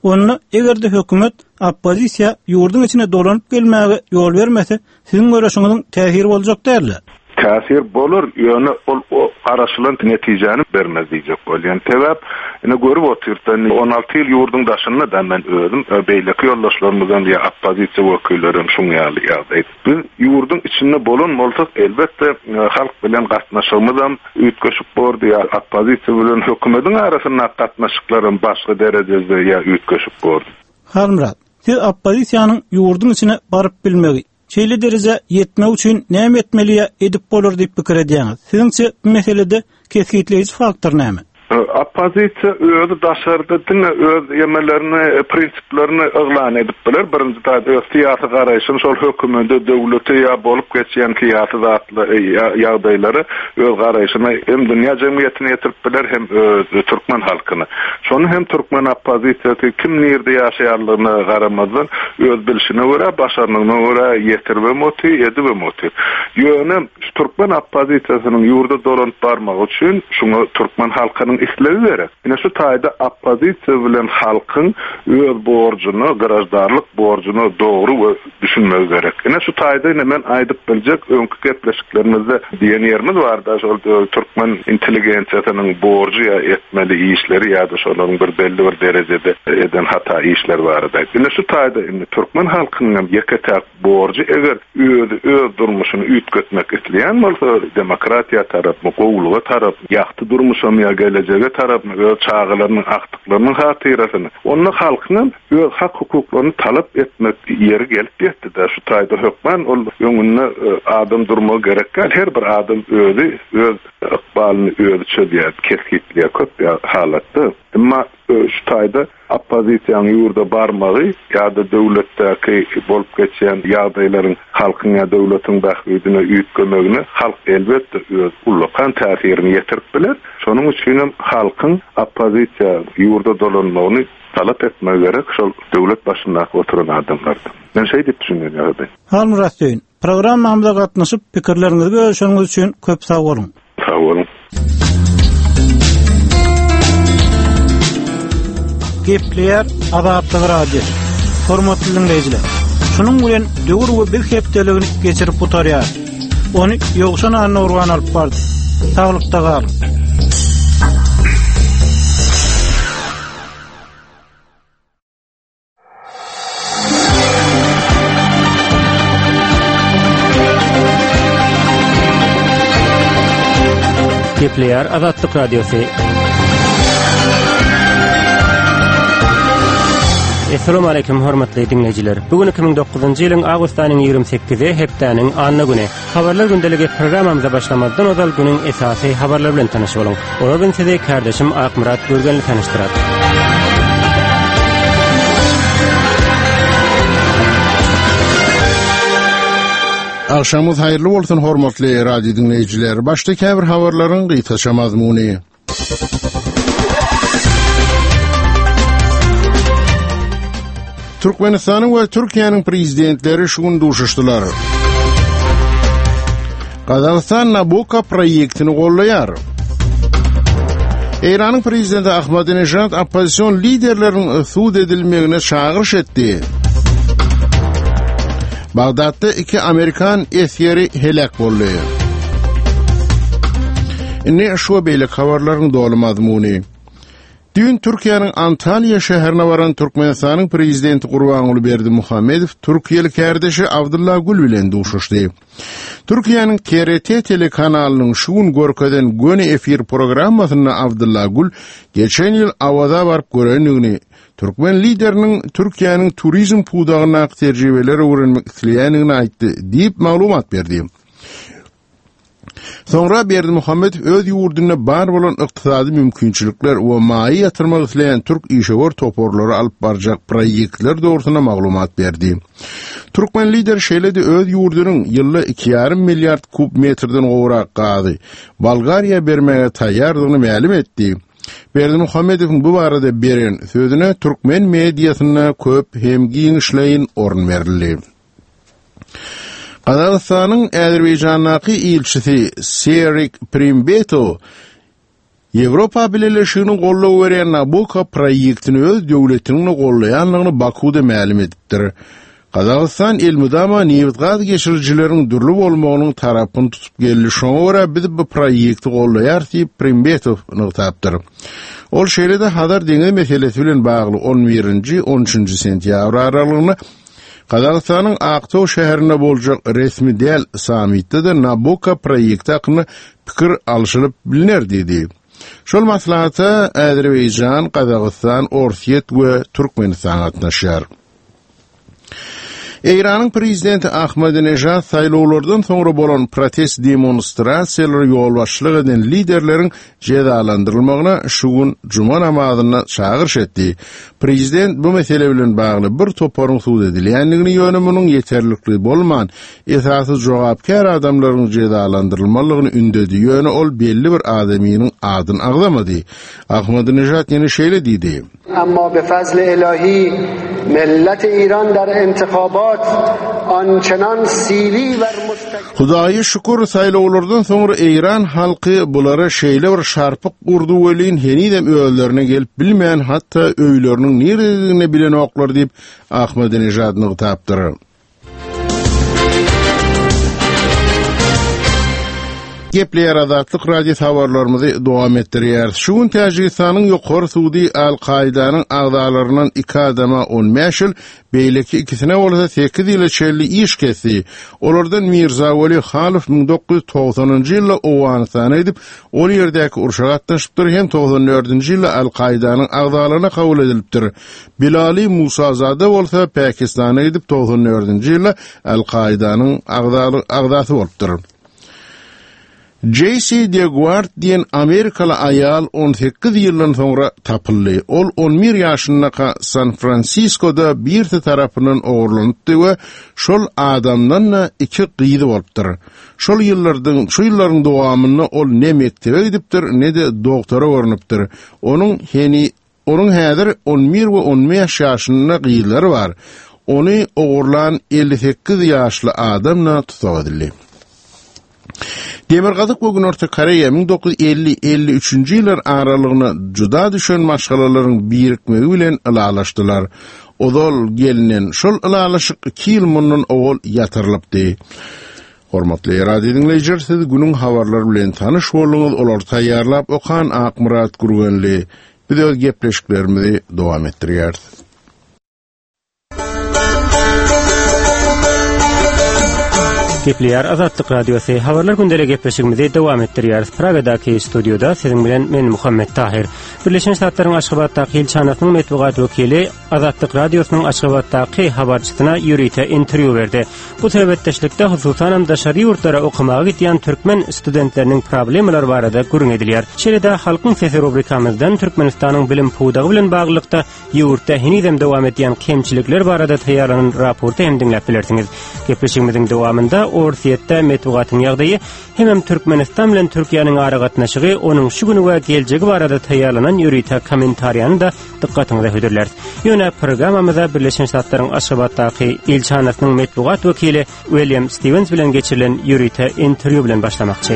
Onda eger-de hökümet oppozisiýa ýurduň içine dolanyp gelmäge ýol bermese, siziň görüşiňiziň täsiri boljak däldi. Täsir bolar, ýöne ol o garaşylan netijäni bermez diýjek bolýan. Sebäp ine görüp otyrdan on alty ýyl ýurduň daşynda da men özüm e, beýleki ýoldaşlarymyzdan ýa oppozisiýa wekilleri hem şuň ýaly ýagdaý. Biz ýurduň içinde bolan bolsak, elbetde e, halk bilen gatnaşygymyz hem üýtgeşik bordy ýa oppozisiýa bilen hökümetiň arasynda gatnaşyklar hem başga derejede ýa üýtgeşik bordy. Halmyrat, siz oppozisiýanyň ýurduň içine baryp bilmegi, şeýle dereje ýetmek üçin näme etmeli ýa edip bolar diýip pikir edýäňiz? Siziňçe bu meselede kesgitleýji faktor näme? Oppozisiýa özi daşarda diňe öz ýemelerini, prinsiplerini yglan edip biler. Birinji taýda öz syýasy garaýşyny şol hökümete, döwlete ýa bolup geçýän syýasy zatlar, ýagdaýlary öz garaýşyny hem dünýä jemgyýetine ýetirip biler, hem öz türkmen halkyna. Şony hem türkmen oppozisiýasy kim nirde ýaşaýanlygyna garamazdan öz bilşine görä, başarnygyna görä ýetirip oty, edip oty. Ýöne şu türkmen oppozisiýasynyň ýurda dolanyp barmagy üçin şuňa türkmen halkynyň islegi gerek. Ine şu taýda oppozisiýa bilen halkyň öz borjuna, grajdarlyk borjuna dogry we düşünmegi gerek. Ine şu taýda ine men aýdyp biljek öňki gepleşiklerimizde diýen ýerimiz barda, şol türkmen intelligensiýasynyň borjy ýa etmeli işleri ýa-da şolaryň bir belli bir derejede eden hata işler barada. Ine şu taýda indi türkmen halkynyň hem ýeke-täk borjy eger özi öz durmuşyny üýtgetmek isleýän bolsa, demokratiýa tarapmy, gowluga tarap, ýagty durmuşam ýa gelejege tarapmy, öz çagalarynyň, agtyklarynyň hatyrasyny, onda halkyň öz hak hukuklaryny talap etmek ýeri gelip ýetdi-de. Şu taýda hökman ol öňünde e, adam durmagy gerek däl. Her bir adam özi öz ykbalyny özi çözýär, kesgitleýär köp halatda. Emma e, şu taýda oppozisiýanyň ýurda barmagy ýa-da döwletdäki bolup geçýän ýagdaýlaryň halkyň ýa döwletiň bähbidine üýtgemegine halk elbetde öz ullakan täsirini ýetirip biler. Şonuň üçin hem halkyň oppozisiýa ýurda dolanmagyny talap etmegi gerek şol döwlet başyndaky oturan adamlardan. Men şeý diýip düşünýän ýagdaý. Halmyrat Söýün, programmamyza gatnaşyp pikirleriňizi bölüşeniňiz üçin köp sag boluň. Sag boluň. Gepleýär Azatlyk Radiosy. Hormatly dinleýjiler, şunuň bilen döwür we biz hepdeligini geçirip gutarýar. Ony Ýowşan Annagurban alyp bardy. Saglykda galyň. Gepleýär Azatlyk Radiosy. Essalamu aleýkum hormatly diňleýjiler. Bu gün iki müň dokuzynjy ýylyň awgust aýynyň ýigrimi sekizi hepdäniň anna güni. Habarlar gündeligi programmamyza başlamazdan ozal günüň esasy habarlary bilen tanyş boluň. Olar bilen sizi kardeşim Akmyrat Gürgenli tanyşdyrar. Agşamyňyz haýyrly bolsun hormatly radio diňleýjiler. Başda käbir habarlaryň gysgaça mazmuny. Türkmenistanyň we Türkiýäniň prezidentleri şu gün duşuşdylar. Gazagystan Nabucco proýektini gollaýar. Eýranyň prezidenti Ahmadinejad oppozision liderleriň sud edilmegine çagyryş etdi. Bagdatda iki amerikan esgeri heläk boldy. Indi şu we beýleki habarlaryň doly mazmuny. Düýn Türkiýäniň Antalýa şäherine baran Türkmenistanyň prezidenti Gurbanguly Berdimuhamedow türkiýeli kärdeşi Abdylla Gül bilen duşuşdy. Türkiýäniň T R T telekanalynyň şu gün görkezen göni efir programmasynda Abdylla Gül geçen ýyl Awaza baryp görendigini, türkmen lideriniň Türkiýäniň turizm pudagyndaky tejribeleri öwrenmek isleýändigini aýtdy diýip maglumat berdi. Soňra Berdimuhamedow öz ýurdunda bar bolan ykdysady mümkinçilikler we maýa ýatyrmak isleýän türk işewür toparlary alyp barjak proýektler dogrusynda maglumat berdi. Türkmen lider şeýle-de öz ýurdunyň ýylda iki ýarym milliard kub metrden gowrak gazy Bolgariýa bermäge taýýardygyny mälim etdi. Berdimuhamedowyň bu barada beren sözüne türkmen mediasynda köp hem giňişleýin orun berildi. Gazagystanyň Azerbaýjandaky ilçisi Serik Primbetow Ýewropa Bileleşiginiň goldaw berýän Nabucco proýektini öz döwletiniň gollaýandygyny Bakuda mälim edipdir. Gazagystan elmydama nebit-gaz geçirijileriň dürli bolmagynyň tarapyny tutup geldi. Şoňa görä biz bu proýekti gollaýarys diýip Primbetow nygtapdyr. Ol şeýle-de Hazar deňizi meselesi bilen bagly on birinji, on üçünji sentýabr aralygynda Gazagystanyň Aktaw şäherinde boljak resmi däl sammitde-de Nabucco proýekti hakynda pikir alşylyp biliner diýdi. Şol maslahata Azerbaýjan, Gazagystan, Orsýet we Türkmenistan gatnaşýar. Eýranyň prezidenti Ahmadinejad saýlawlardan soňra bolan protest demonstrasiýalara ýolbaşçylyk eden liderleriň jezalandyrylmagyna şu gün juma namazynda çagyryş etdi. Prezident bu mesele bilen bagly bir toparyň sud edilýändigini, ýöne munuň ýeterlikli bolman, esasy jogapkär adamlaryň jezalandyrylmalygyny ündedi, ýöne ol belli bir adamynyň adyny agzamady. Ahmadinejad ýene şeýle diýdi. Amma be fazl ilahi millet İran der intihabat ançenan sili wer mustak Hudaýa şükür, saýlawlardan soňra Eýran halky bulara şeýle bir şarpyk urdy welin henizem özlerine gelip bilmän, hatda öýleriniň nirededigini bilenoklar diýip Ahmadinejad nygtapdyr. Gepleýär Azatlyk Radiosy habarlarymyzy dowam etdirýär. Şu gün Täjigistanyň ýokary sudy Al-Kaidanyň agzalaryndan iki adama on bäş ýyl, beýleki ikisine bolsa sekiz ýyla çenli iş kesdi. Olardan Mirzaweli Halow müň dokuz ýüz togsanynjy ýylda Owganystana gidip, ol ýerdäki urşa gatnaşypdyr hem togsan dördünji ýylda Al-Kaidanyň agzalaryna kabul edilipdir. Bilali Musazada bolsa Pakistana gidip togsan dördünji ýylda Al-Kaidanyň agzasy bolupdyr. J C DeGuard diýen Amerikaly aýal on sekiz ýyldan soňra tapyldy. Ol on bir ýaşyndaka San Fransiskoda birisi tarapyndan ogurlanypdy we şol adamdan da iki gyzy bolupdyr. Şol ýyllardan, şu ýyllaryň dowamynda ol ne mekdebe gidipdir, ne-de doktora görünipdir. Onuň heni, onuň häzir on bir we on bäş ýaşynda gyzlary bar. Ony ogurlan elli sekiz ýaşly adam da tutuk edildi. Demirgazyk we Günorta Koreýa müň dokuz ýüz elli elli üçünji ýyllar aralygyna juda düşen maşgalalaryň birikmegi bilen ylalaşdylar. Ozal gelinen şol ylalaşyk iki ýyl mundan owal ýatyrylypdy. Hormatly radio diňleýjiler, siz günüň habarlary bilen tanyş bolduňyz. Olary taýýarlap okan Akmyrat Gürgenli. Biz öz gepleşiklerimizi dowam etdirýäris. Gepleýär Azatlyk Radiosy. Habarlar gündelik gepleşigimizi dowam etdirýäris. Pragadaky studioda siziň bilen men Muhammet Tahir. Birleşen Ştatlaryň Aşgabatdaky ilçihanasynyň metbugat wekili Azatlyk Radiosynyň Aşgabatdaky habarçysyna ýörite interwýu berdi. Bu söhbetdeşlikde hususanam daşary ýurtlara okamaga gidýän türkmen studentleriniň problemalary barada gürrüň edilýär. Şeýle-de Halkyň sesi rubrikamyzdan Türkmenistanyň bilim pudagy bilen baglylykda ýurtda henizem dowam edýän kemçilikler barada taýýarlanan raporty hem diňläp bilersiňiz. Gepleşigimiziň dowamynda Orsýetde metbugatyň ýagdaýy hemem Türkmenistan bilen Türkiýäniň aragatnaşygy, onuň şu güni we geljegi barada taýýarlanan ýörite kommentariýany da dykgatyňyza hödürläris. Ýöne programmamyza Birleşen Ştatlaryň Aşgabatdaky ilçihanasynyň metbugat wekili William Stevens bilen geçirilen ýörite interwýu bilen başlamakçy.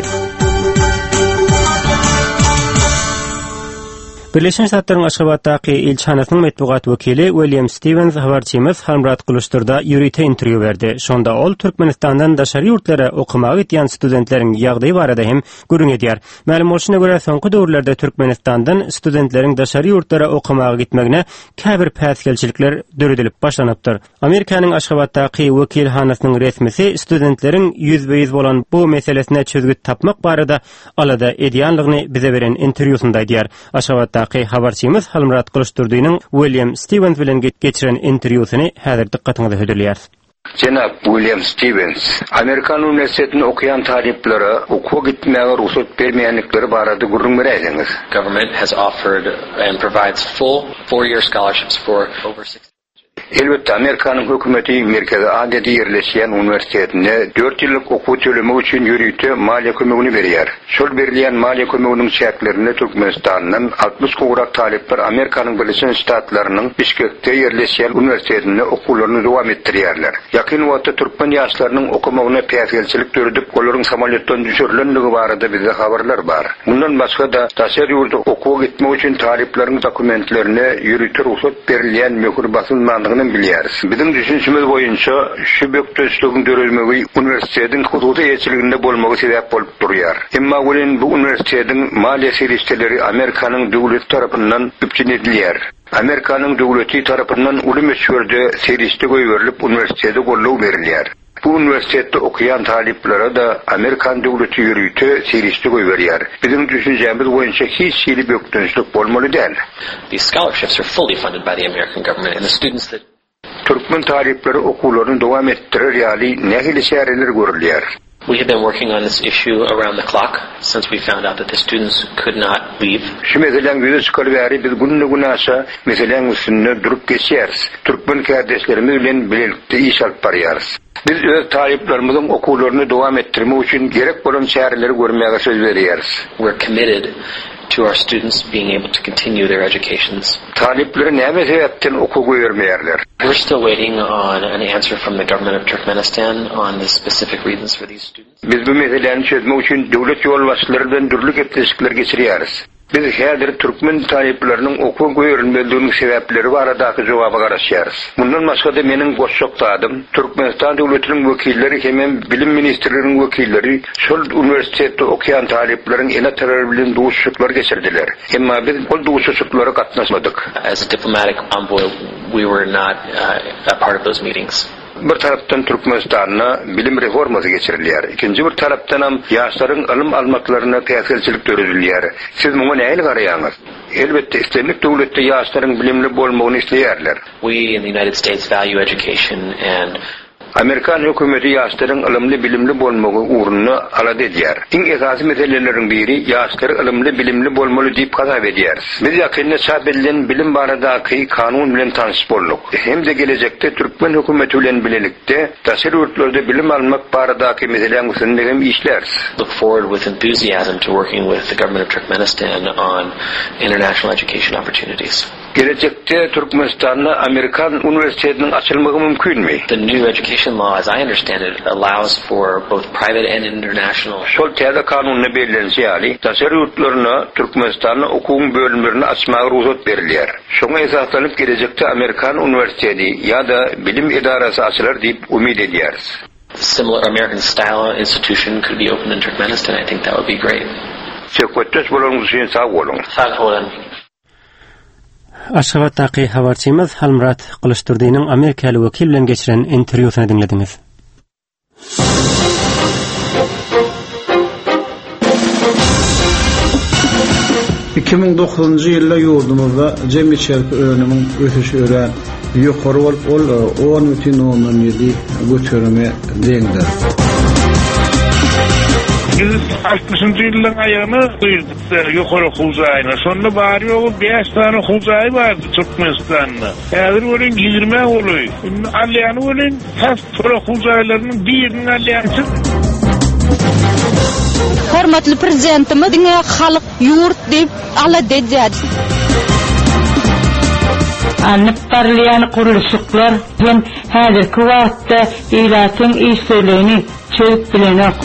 Birleşen Ştatlaryň Aşgabatdaky ilçihanasynyň metbugat wekili William Stevens habarçymyz Halmyrat Gylyçdurda ýörite interwýu berdi. Şonda ol Türkmenistandan daşary ýurtlara okamaga gidýän studentleriň ýagdaýy barada hem gürrüň edýär. Mälim bolşuna görä soňky döwürlerde Türkmenistandan studentleriň daşary ýurtlara okamaga gitmegine käbir päsgelçilikler döredilip başlanypdyr. Amerikanyň Aşgabatdaky wekilhanasynyň resmisi studentleriň ýüzbe-ýüz bolan bu meselesine çözgüt tapmak barada alada edýänligini bize beren interwýusynda aýdýar. Aşgabatdaky habarçymyz Halmyrat Gylyçdurdynyň William Stevens bilen geçiren interwýusyny häzir dykgatyňyza hödürleýäris. Jenap William Stevens, Amerikan uniwersitetinde okaýan talyplara okuwa gitmäge rugsat bermeýändikleri barada gürrüň beräýseňiz. Government has offered and provides full four-year scholarships for over six Elbetde, Amerikanyň hökümeti Merkezi Aziýada ýerleşýän uniwersitetinde dört ýyllyk okuw tölemek üçin ýörite maliýe kömegini berýär. Şol berilýän maliýe kömeginiň çäklerinde Türkmenistandan altmyş gowrak talyplar Amerikanyň Birleşen Ştatlarynyň Bişkekde ýerleşýän uniwersitetinde okuwlaryny dowam etdirýärler. Ýakyn wagtda türkmen ýaşlarynyň okamagyna päsgelçilik döredip, olaryň samolýotdan düşürilendigi barada bizde habarlar bar. Mundan başga-da daşary ýurda okuwa gitmek üçin talyplaryň dokumentlerine ýörite rugsat berilýän möhür basylmandygyny bilýäris. Biziň düşünişimiz boýunça şu bökdençligiň dörelmegi uniwersitetiň hususy eýeçiliginde bolmagy sebäp bolup durýar. Emma welin bu uniwersitetiň maliýe serişdeleri Amerikanyň döwleti tarapyndan üpjün edilýär. Amerikanyň döwleti tarapyndan uly möçberde serişde goýberilip uniwersitete goldaw berilýär. Bu uniwersitetde okaýan talyplara da Amerikan döwleti ýörite serişde goýberýär. Biziň düşünjemiz boýunça hiç hili bökdençlik bolmaly däl. These scholarships are fully funded by the American government and the students that Türkmen talyplary okuwlaryny dowam etdirer ýaly nähili çäreler görülýär? We have been working on this issue around the clock since we found out that the students could not leave. Şu meseläň ýüze çykaly bäri biz günde-günaşa meseläň üstünde durup geçýäris. Türkmen kärdeşlerimiz bilen bilelikde iş alyp barýarys. Biz öz talyplarymyzyň okuwlaryny dowam etdirmek üçin gerek bolan çäreleri görmäge söz berýäris. We're committed to our students being able to continue their educations. Talyplary näme sebäpden okuwa goýbermeýärler? We're still waiting on an answer from the government of Turkmenistan on the specific reasons for these students. Biz bu meseläni çözmek üçin döwlet ýolbaşçylary bilen dürli gepleşikler geçirýäris. Biz häzir türkmen talyplarynyň okuwa goýberilmezliginiň sebäpleri baradaky jogaba garaşýarys. Mundan başga-da meniň goşjak zadym, Türkmenistan döwletiniň wekilleri hemem bilim ministrliginiň wekilleri şol uniwersitetde okaýan talyplaryň ene-atalary bilen duşuşyklar geçirdiler. Emma biz ol duşuşyklara gatnaşmadyk. As a diplomatic envoy, we were not, uh, a part of those meetings. Bir tarapdan Türkmenistanda bilim reformasy geçirilýär. Ikinji bir tarapdanam ýaşlaryň ylym almaklaryna päsgelçilik döredilýär. Siz muňa nähili garaýaňyz? Elbetde, islendik döwletde ýaşlaryň bilimli bolmagyny isleýärler. We in the United States value education and Amerikan hökümeti ýaşlaryň ylymly bilimli bolmagy ugrunda alada edýär. Iň esasy meseleleriň biri ýaşlar ylymly bilimli bolmaly diýip hasap edýäris. Biz ýakynda çap edilen bilim baradaky kanun bilen tanyş bolduk. Hem-de gelejekde türkmen hökümeti bilen bilelikde daşary ýurtlarda bilim almak baradaky meseläň üstünde hem işläris. Look forward with enthusiasm to working with the government of Turkmenistan on international education opportunities. Gelejekde Türkmenistanda Amerikan uniwersitetiniň açylmagy mümkinmi? The new education law, as I understand it, allows for both private and international. Şol täze kanunda bellenişi ýaly, daşary ýurtlaryna Türkmenistanda okuwyň bölümlerini açmaga rugsat berilýär. Şoňa esaslanyp gelejekde Amerikan uniwersiteti ýa-da bilim edarasy açylar diýip umyt edýäris. similar American-style institution could be opened in Turkmenistan, I think that would be great. Söhbetdeş bolanyňyz üçin sag boluň. Sag boluň. Aşgabatdaky habarçymyz Halmyrat Gylyçdurdynyň amerikaly wekil bilen geçiren interwýusyny diňlediňiz. Iki müň dokuzynjy ýylda ýurdumyzda jemi içerki önümiň ösüşi örän ýokary bolup, ol on bütin ondan ýedi göterime deňdir. Biz altmyşynjy ýyllaryň aýagyna girdik ýokary okuw jaýyna. Şonda bary ýogy bäş sany okuw jaýy bardy Türkmenistanda. Häzir welin ýigrimi golaý. Indi alýany welin tas şol okuw jaýlarynyň birini alýançy. Hormatly prezidentimiz diňe halk ýurt diýip alada edýär. Alnyp barylýan gurluşyklar hem häzirki wagtda ilatyň işsizligini çözüp bilenok.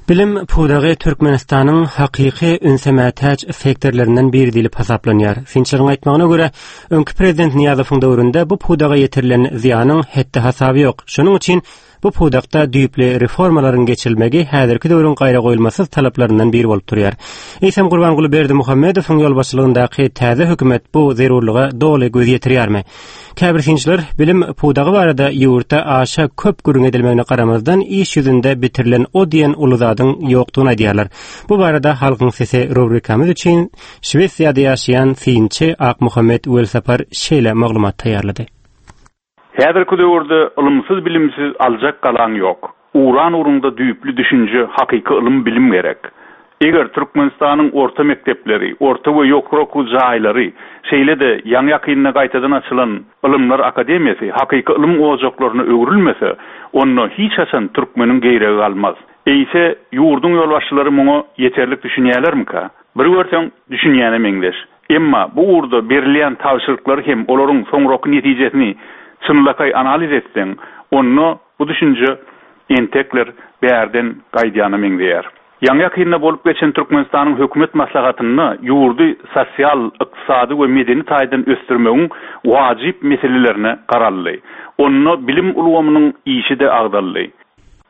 Bilim pudagy Türkmenistanyň hakyky ünse mätäç sektorlaryndan biri diýlip hasaplanýar. Synçylaryň aýtmagyna görä, öňki prezident Nyýazowyň döwründe bu pudaga ýetirilen zyýanyň hetdi hasaby ýok. Şonuň üçin bu pudakda düýpli reformalaryň geçirilmegi häzirki döwrüň gaýra goýulmasyz talaplaryndan biri bolup durýar. Eýsem Gurbanguly Berdimuhamedowyň ýolbaşçylygyndaky täze hökümet bu zerurlyga doly göz ýetirýärmi? Käbir synçylar bilim pudagy barada ýurtda aşa köp gürrüň edilmegine garamazdan iş ýüzünde bitirilen o diýen uly zadyň ýokdugyny aýdýarlar. Bu barada Halkyň Sesi rubrikamyz üçin Şwesiýada ýaşaýan synçy Akmuhammet Welsapar şeýle maglumat taýýarlady. Häzirki döwürde ylymsyz bilimsiz aljak galan ýok. Uran ugrunda düýpli düşünje, hakyky ylym bilim gerek. Eger Türkmenistanyň orta mekdepleri, orta we ýokary okuw jaýlary, şeýle-de ýaňy ýakynda gaýtadan açylan Ylymlar Akademiýasy hakyky ylym ojaklaryna öwrülmese, onda hiç haçan türkmeniň geýregi galmaz. Eýse ýurduň ýolbaşçylary muňa ýeterlik düşünýärlermika? Bir görseň düşünýäne meňzeş. Emma bu ugurda berilýän tabşyryklary hem olaryň soňraky netijesini çynlakaý analiz etseň, onda bu düşünje entekler bärden gaýdýana meňzeýär. Ýaňy ýakynda bolup geçen Türkmenistanyň hökümet maslahatynda ýurdy sosial, ykdysady we medeni taýdan ösdürmegiň wajyp meselelerine garaldy. Onda bilim ulgamynyň işi-de agdaldy.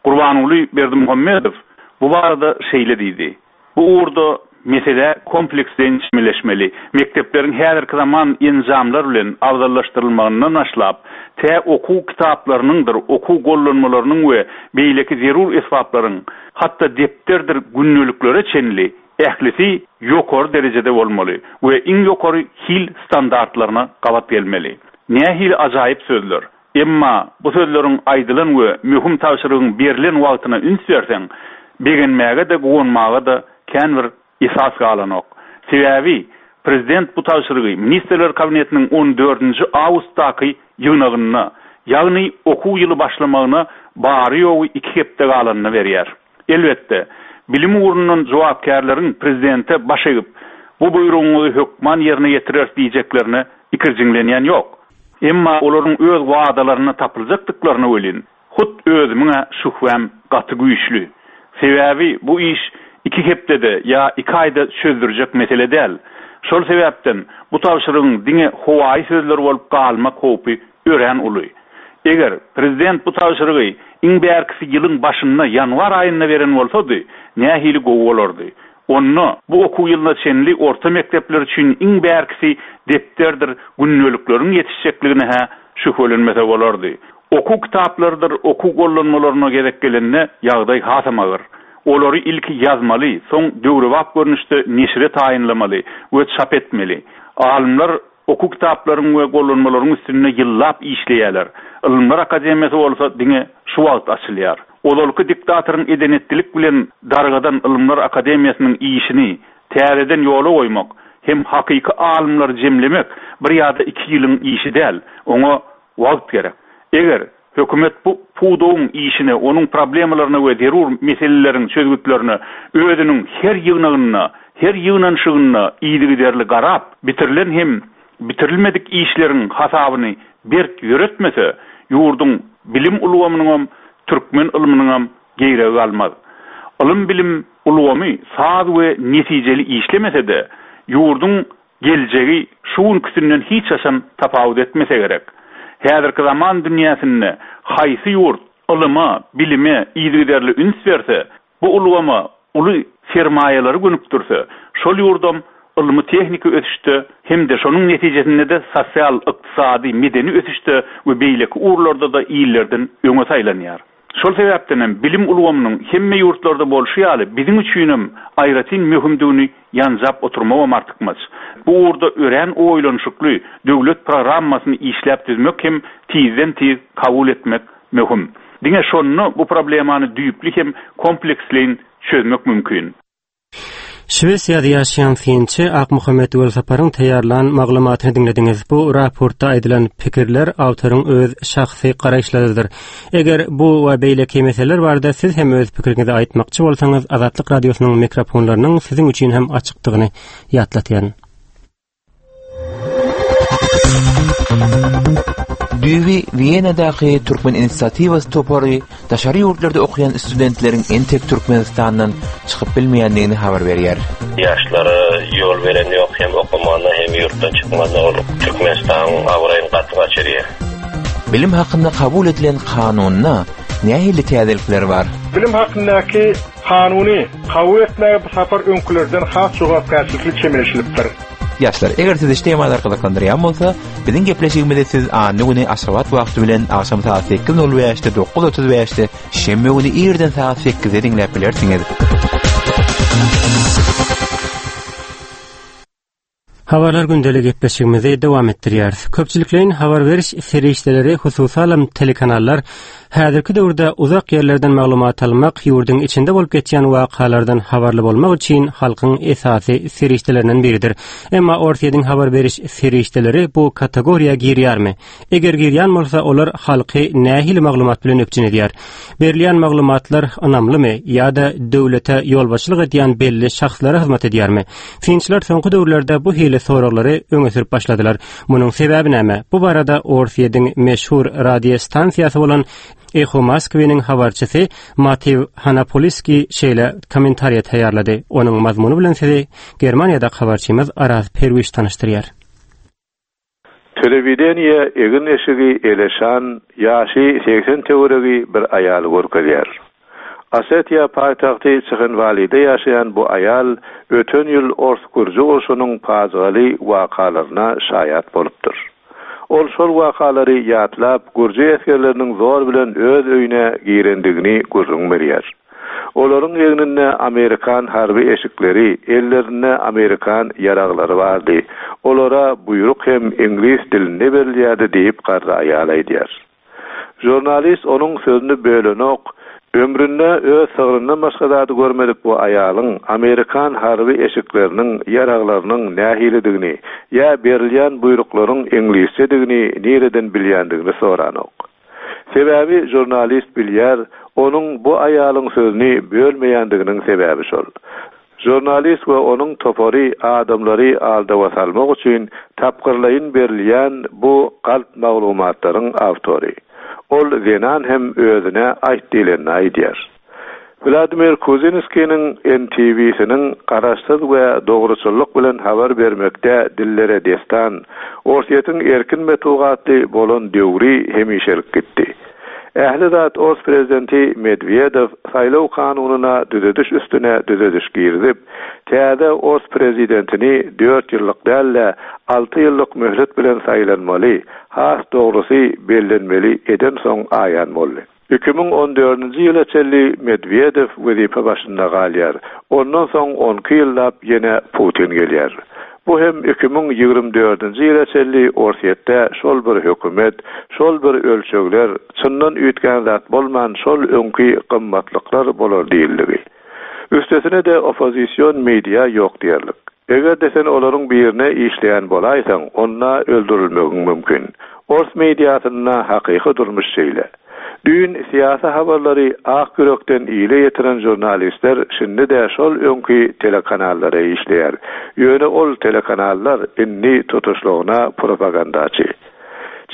Gurbanguly Berdimuhamedow bu barada şeýle diýdi. Bu ugurda mesele kompleksden çemeleşmeli. Mekdepleriň häzirki zaman enjamlar bilen abzallaşdyrylmagyndan başlap, tä okuw kitaplarynyňdyr, okuw gollanmalarynyň we beýleki zerur esbaplaryň, hatda depderdir gündeliklere çenli ählisi ýokary derejede bolmaly we iň ýokary hil standartlaryna gabat gelmeli. Nähili ajaýyp sözler. Emma bu sözleriň aýdylan we möhüm tabşyrygyň berilen wagtyna üns berseň, begenmäge-de guwanmaga-da kän bir esas galanok. Sebäbi prezident bu tabşyrygy Ministrler Kabinetiniň on dördünji awgustdaky ýygnagynda, ýagny okuw ýyly başlamagyna bary ýogy iki hepde galanyny berýär. Elbetde, bilim ugrundan jogapkärleriň prezidente baş egip, bu buýrugyňyzy hökman ýerine ýetireris diýjeklerine ikirjiňlenýän ýok. Emma olaryň öz wadalaryna tapyljakdyklaryny welin, hut özümiň şühwäm gaty güýçli. Sebäbi bu iş iki hepdede ýa iki aýda çözdürjek mesele däl. Şol sebäpden bu tabşyrygyň diňe howaýy sözler bolup galmak howpy örän uly. Eger prezident bu tabşyrygy iň bärkisi ýylyň başynda ýanwar aýynda beren bolsady, nähili gowy bolardy. Onda bu okuw ýylyna çenli orta mekdepler üçin iň bärkisi depderdir gündelikleriň ýetişjekligine hä şübhelenmese bolardy. Okuw kitaplarydyr, okuw gollanmalaryna gezek gelende ýagdaý hasam agyr. Olary ilki ýazmaly, soň döwrebap görnüşde neşire taýynlamaly we çap etmeli. Alymlar okuw kitaplaryň we gollanmalaryň üstünde ýyllap işleýärler. Ylymlar Akademiýasy bolsa diňe şu wagt açylýar. Ozalky diktatoryň edenetlilik bilen dargadan Ylymlar Akademiýasynyň işini täzeden ýola goýmak hem hakyky alymlary jemlemek bir ýa-da iki ýylyň işi däl, oňa wagt gerek. Eger hökümet bu pudagyň işine, onuň problemalaryna we zerur meseleleriň çözgütlerine özüniň her ýygnagynda, her ýygnanyşygynda yzygiderli garap, bitirilen hem bitirilmedik işleriň hasabyny berk ýöretmese, ýurduň bilim ulgamynyňam, türkmen ylmynyňam geýregi galmaz. Ylym bilim ulgamy saz we netijeli işlemese-de, ýurduň Geljegi şu günküsinden hiç haçan tapawut etmese gerek. Häzirki zaman dünýäsinde haýsy ýurt ylyma, bilime yzygiderli üns berse, bu ulgama uly sermaýalary gönükdirse, şol ýurdam ylmy tehniki ösüşde hem-de şonuň netijesinde-de sosial, ykdysady, medeni ösüşde we beýleki ugurlarda-da illerden öňe saýlanýar. Şol sebäpden hem bilim ulgamynyň hemme ýurtlarda bolşy ýaly biziň üçinem aýratyn möhümdigini ýanjap oturmagam artykmaç. Bu ugurda örän oýlanyşykly döwlet programmasyny işläp düzmek hem tizden-tiz kabul etmek möhüm. Diňe şonda bu problemany düýpli hem kompleksleýin çözmek mümkin. Şwesiýada ýaşaýan synçy Akmuhammet Welsaparyň taýýarlan maglumatyny diňlediňiz. Bu raportda aýdylan pikirler awtoryň öz şahsy garaýyşlarydyr. Eger bu we beýleki meseleler barada siz hem öz pikiriňizi aýtmakçy bolsaňyz, Azatlyk Radiosynyň mikrofonlarynyň siziň üçin hem açykdygyny ýatlatýaryn. Düýbi Wienadaky Türkmen Inisiatiwasy topary daşary ýurtlarda okaýan studentleriň entek Türkmenistandan çykyp bilmeýändigini habar berýär. Ýaşlara ýol beren ýok, hem okamana hem ýurtdan çykmana ol Türkmenistanyň abraýyny gaty gaçyrýar. Bilim hakynda kabul edilen kanunda nähili täzelikler bar? Bilim hakyndaky kanuny kabul etmäge bu sapar öňkülerden has jogapkärçilikli çemeleşilipdir. Ýaşlar, eger sizi şu temalar gyzyklandyrýan bolsa, biziň gepleşigimizi siz anna güni Aşgabat wagty bilen agşam saat sekiz nol bäşde, dokuz otuz bäşde, şenbe güni irden saat sekizde diňläp bilersiňiz. Habarlar gündelik gepleşigimizi dowam etdirýäris. Köpçülikleýin habar beriş serişdeleri, hususanam telekanallar häzirki döwürde uzak ýerlerden maglumat almak, ýurduň içinde bolup geçýän wakalardan habarly bolmak üçin halkyň esasy serişdelerinden biridir. Emma Orsýetiň habar beriş serişdeleri bu kategoriýa girýärmi? Eger girýän bolsa, olar halky nähili maglumat bilen üpjün edýär? Berilýän maglumatlar ynamlymy ýa-da döwlete ýolbaşçylyk edýän belli şahslara hyzmat edýärmi? Synçylar soňky döwürlerde bu hili soraglary öňe sürüp başladylar. Munuň sebäbi näme? Bu barada Orsýetiň meşhur radio stansiýasy bolan Eho Moskwynyň habarçysy Matiw Hanapoliski şeýle kommentariýa taýýarlady. Onuň mazmuny bilen sizi Germaniýada habarçymyz Araz Perwiş tanyşdyrýar. Telewideniýe egin eşigi eleşan, ýaşy seksen töweregi bir aýaly görkezýär. Osetiýa paýtagty Çyhynwalide ýaşaýan bu aýal öten ýyl Ors Gürji urşunyň pajygaly wakalaryna şaýat bolupdyr. Ol şol wakalary ýatlap, Gürji esgerleriniň zor bilen öz öýüne girendigini gürrüň berýär. Olaryň egninde Amerikan harby eşikleri, ellerinde Amerikan ýaraglary bardy. Olara buýruk hem iňlis dilinde berilýärdi diýip garry aýal aýdýar. Jurnalist onuň sözüni bölenok, ömründe öz sygryndan başga zady görmedik bu aýalyň Amerikan harby eşikleriniň, ýaraglarynyň nähilidigini, ýa berilýän buýruklaryň iňlisçedigini nireden bilýändigini soranok. Sebäbi jurnalist bilýär, onuň bu aýalyň sözüni bölmeýändiginiň sebäbi şol. Jurnalist we onuň topary adamlary aldawa salmak üçin tapgyrlaýyn berilýän bu galp maglumatlaryň awtory. Ol zenan hem özüne aýt diýlenini aýdýar. Vladimir Kuzinskiniň N T V-siniň garaşsyz we dogruçyllyk bilen habar bermekde dillere destan, Orsýetiň erkin metugatly bolan döwri hemişelik gitdi. Ähli zat Ors prezidenti Medvedev saýlaw kanunyna düzediş üstüne düzediş girizip, täze Ors prezidentini dört ýyllyk däl-de alty ýyllyk möhlet bilen saýlanmaly, has dogrusy bellenmeli eden soň aýan boldy. Iki müň on dördünji ýyla çenli Medvedev wezipe başynda galýar. Ondan soň on iki ýyllap ýene Putin gelýär. Bu hem iki müň ýigrimi dördünji ýyla çenli Orsýetde şol bir hökümet, şol bir ölçegler, çyndan üýtgän zat bolman şol öňki gymmatlyklar bolar diýildigi. Üstesine de opozisyon media ýok diýerlik. Eger de sen olaryň birine işleýän bolaýsaň, onda öldürilmegiň mümkin. Ors mediasynda hakyky durmuş şeýle. Düýn syýasy habarlary ak ýürekden ile ýetiren jurnalistler şindi de şol öňki telekanallara işleýär. Ýöne ol telekanallar indi tutuşlygyna propagandaçy.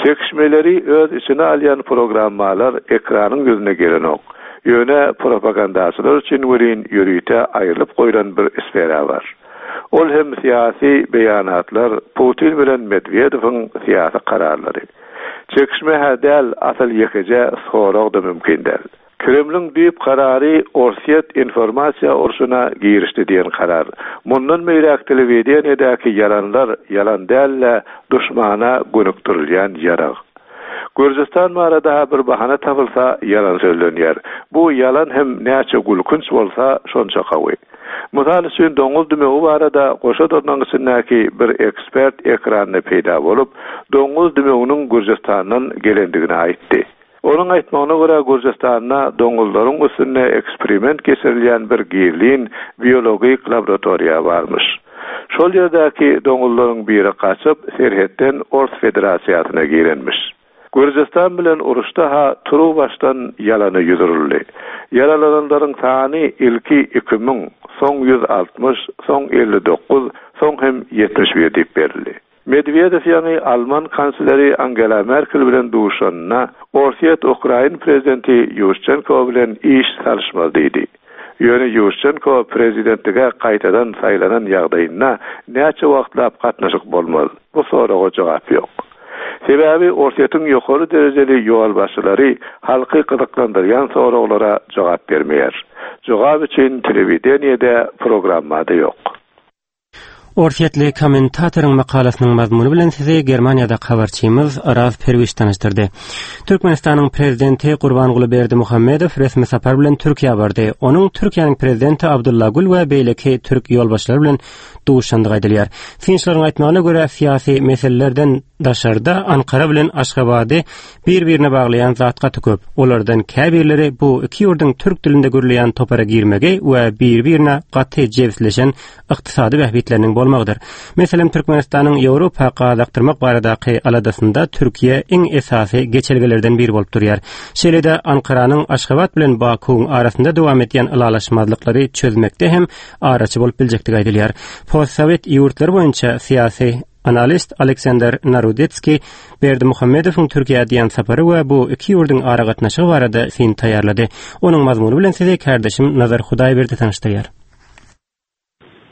Çekişmeleri öz içine alýan programmalar ekranyň ýüzüne gelenok. Ýöne propagandaçylar üçin welin ýörite aýrylyp goýlan bir sfera bar. Ol hem syýasy beýanatlar, Putin bilen Medwedewiň syýasy kararlary. Çekişme-hä däl, asyl ýekeje sorag-da mümkin däl. Kremliň düýp karary Orsýet informasiýa urşuna girişdi diýen karar. Mundan beýläk telewideniýedäki ýalanlar ýalan däl-de, duşmana gönükdirilýän ýarag. Gürjüstan barada bir bahana tapylsa ýalan sözlenýär. Bu ýalan hem näçe gülkünç bolsa şonça gawy. Mysal üçin doňuz dümewi barada goşa dyrnagyň içindäki bir ekspert ekranda peýda bolup, doňuz dümewiniň Gürjüstandan gelendigini aýtdy. Onuň aýtmagyna görä Gürjüstanda doňuzlaryň üstünde eksperiment geçirilýän bir gizlin biologik laboratoriýa barmyş. Şol ýerdäki doňuzlaryň biri gaçyp serhetden Ors Federasiýasyna girenmiş. Gürjüstan bilen uruşda ha turuwbaşdan ýalana ýüz uruldy. Ýaralananlaryň sany ilki iki müň, soň ýüz altmyş, soň elli dokuz, soň hem ýetmiş bir diýip berildi. Medwedew ýaňy Alman kansleri Angela Merkel bilen duşanda Orsýet Ukrain prezidenti Ýuşçenko bilen iş salyşmaz diýdi. Ýöne Ýuşçenko prezidentlige gaýtadan saýlanan ýagdaýynda näçe wagtlap gatnaşyk bolmaz? Bu soraga jogap ýok. Sebäbi Orsýetiň ýokary derejeli ýolbaşçylary halky gyzyklandyrýan soraglara jogap bermeýär. Jogap üçin telewideniýede programmada ýok. Orsýetli kommentatoryň makalasynyň mazmuny bilen sizi Germaniýada habarçymyz Araz Perwiş tanyşdyrdy. Türkmenistanyň prezidenti Gurbanguly Berdimuhamedow resmi sapar bilen Türkiýä bardy. Onuň Türkiýäniň prezidenti Abdulla Gül we beýleki türk ýolbaşçylary bilen duşandygy aýdylýar. Synçylaryň aýtmagyna görä syýasy meselelerden daşarda Ankara bilen Aşgabady bir-birine baglaýan zat gaty köp. Olardan käbirleri bu iki ýurduň türk dilinde gürleýän topara girmegi we bir-birine gaty jebisleşen ykdysady bähbitleriniň bolmagydyr. Meselem, Türkmenistanyň Ýewropa gaz akdyrmak baradaky aladasynda Türkiýe iň esasy geçelgelerden biri bolup durýar. Şeýle-de Ankaranyň Aşgabat bilen Bakuwyň arasynda dowam edýän ylalaşmazlyklary çözmekde hem araçy bolup biljekdigi aýdylýar. Postsowet ýurtlary boýunça syýasy analist Aleksandr Narodetskiý Berdimuhamedowyň Türkiýä diýen sapary we bu iki ýurduň aragatnaşygy barada syn taýýarlady. Onuň mazmuny bilen sizi kardeşim Nazar Hudaýberdi tanyşdyrýar.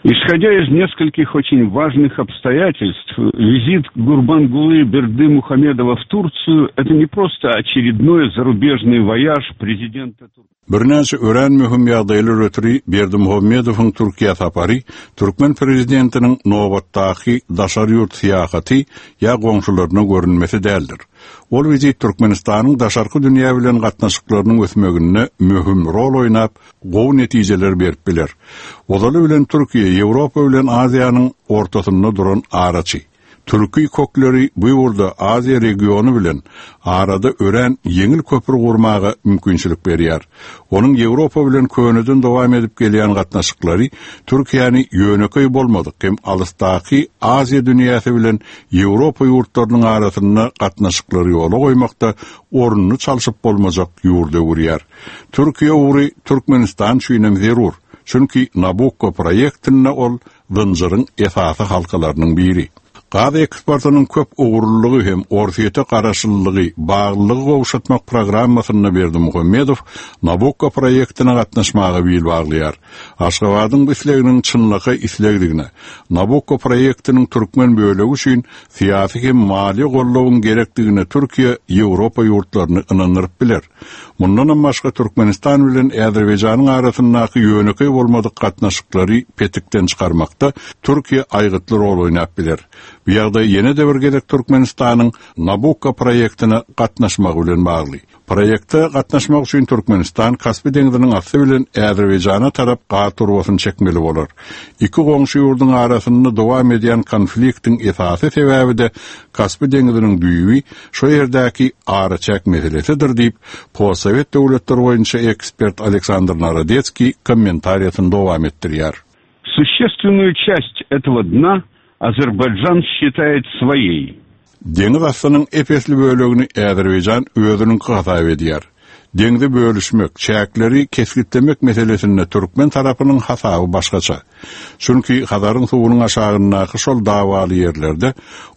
Исходя из нескольких очень важных обстоятельств, визит Гурбангулы Бердымухамедова в Турцию – это не просто очередной зарубежный вояж президента Турции. Birnäçe örän möhüm ýagdaýlar ötri Berdimuhamedowyň Türkiýä sapary türkmen prezidentiniň nobatdaky daşary ýurt syýahaty ýa goňşularyna görünmesi däldir. Ol wizit Türkmenistanyň daşarky dünýä bilen gatnaşyklarynyň ösmeginde möhüm rol oýnap, gowy netijeler berip biler. Ozaly bilen Türkiýe Ýewropa bilen Aziýanyň ortasynda duran araçy. Türki kökleri bu ýurda Aziýa regiony bilen arada örän ýeňil köpri gurmaga mümkinçilik berýär. Onuň Ýewropa bilen köneden dowam edip gelýän gatnaşyklary Türkiýäni ýönekeý bolmadyk hem alysdaky Aziýa dünýäsi bilen Ýewropa ýurtlarynyň arasynda gatnaşyklary ýola goýmakda ornuny çalşyp bolmajak ýurda öwürýär. Türkiýe ugry Türkmenistan üçin hem zerur. Çünki Nabukko proýektinde ol zynjyryň esasy halkalarynyň biri. Gaz eksportynyň köp ugurlylygy hem Orsýete garaşlylygy, baglylygy gowşatmak programmasynda Berdimuhamedow Nabukko proýektine gatnaşmaga bil baglaýar. Aşgabadyň bu isleginiň çynlakaý islegdigine, Nabukko proýektiniň türkmen bölegi üçin syýasy hem maliýe goldawyň gerekdigine Türkiýe Ýewropa ýurtlaryny ynandyryp biler. Mundanam başga Türkmenistan bilen Azerbaýjanyň arasyndaky ýönekeý bolmadyk gatnaşyklary petikden çykarmakda Türkiýe aýgytly rol oýnap biler. Bu ýagdaý ýene-de bir gezek Türkmenistanyň Nabukko proýektine gatnaşmagy bilen bagly. Proýekte gatnaşmak üçin Türkmenistan Kaspi deňziniň asty bilen Azerbaýjana tarap gaz turbasyny çekmeli bolar. Iki goňşy ýurduň arasynda dowam edýän konfliktiň esasy sebäbi de Kaspi deňziniň düýbi şu ýerdäki araçäk meselesidir diýip, Postsowet döwletleri boýunça ekspert Aleksandr Narodetskiý kommentariýasyny dowam etdirýär. Существенную часть этого дна Азербайджан считает своей. Deňiz astynyň epesli bölegini Azerbaýjan özüniňki hasap edýär. Deňzi bölüşmek, çäkleri kesgitlemek meselesinde türkmen tarapynyň hasaby başgaça. Çünki Hazaryň suwunyň aşagyndaky şol dawaly ýerlerde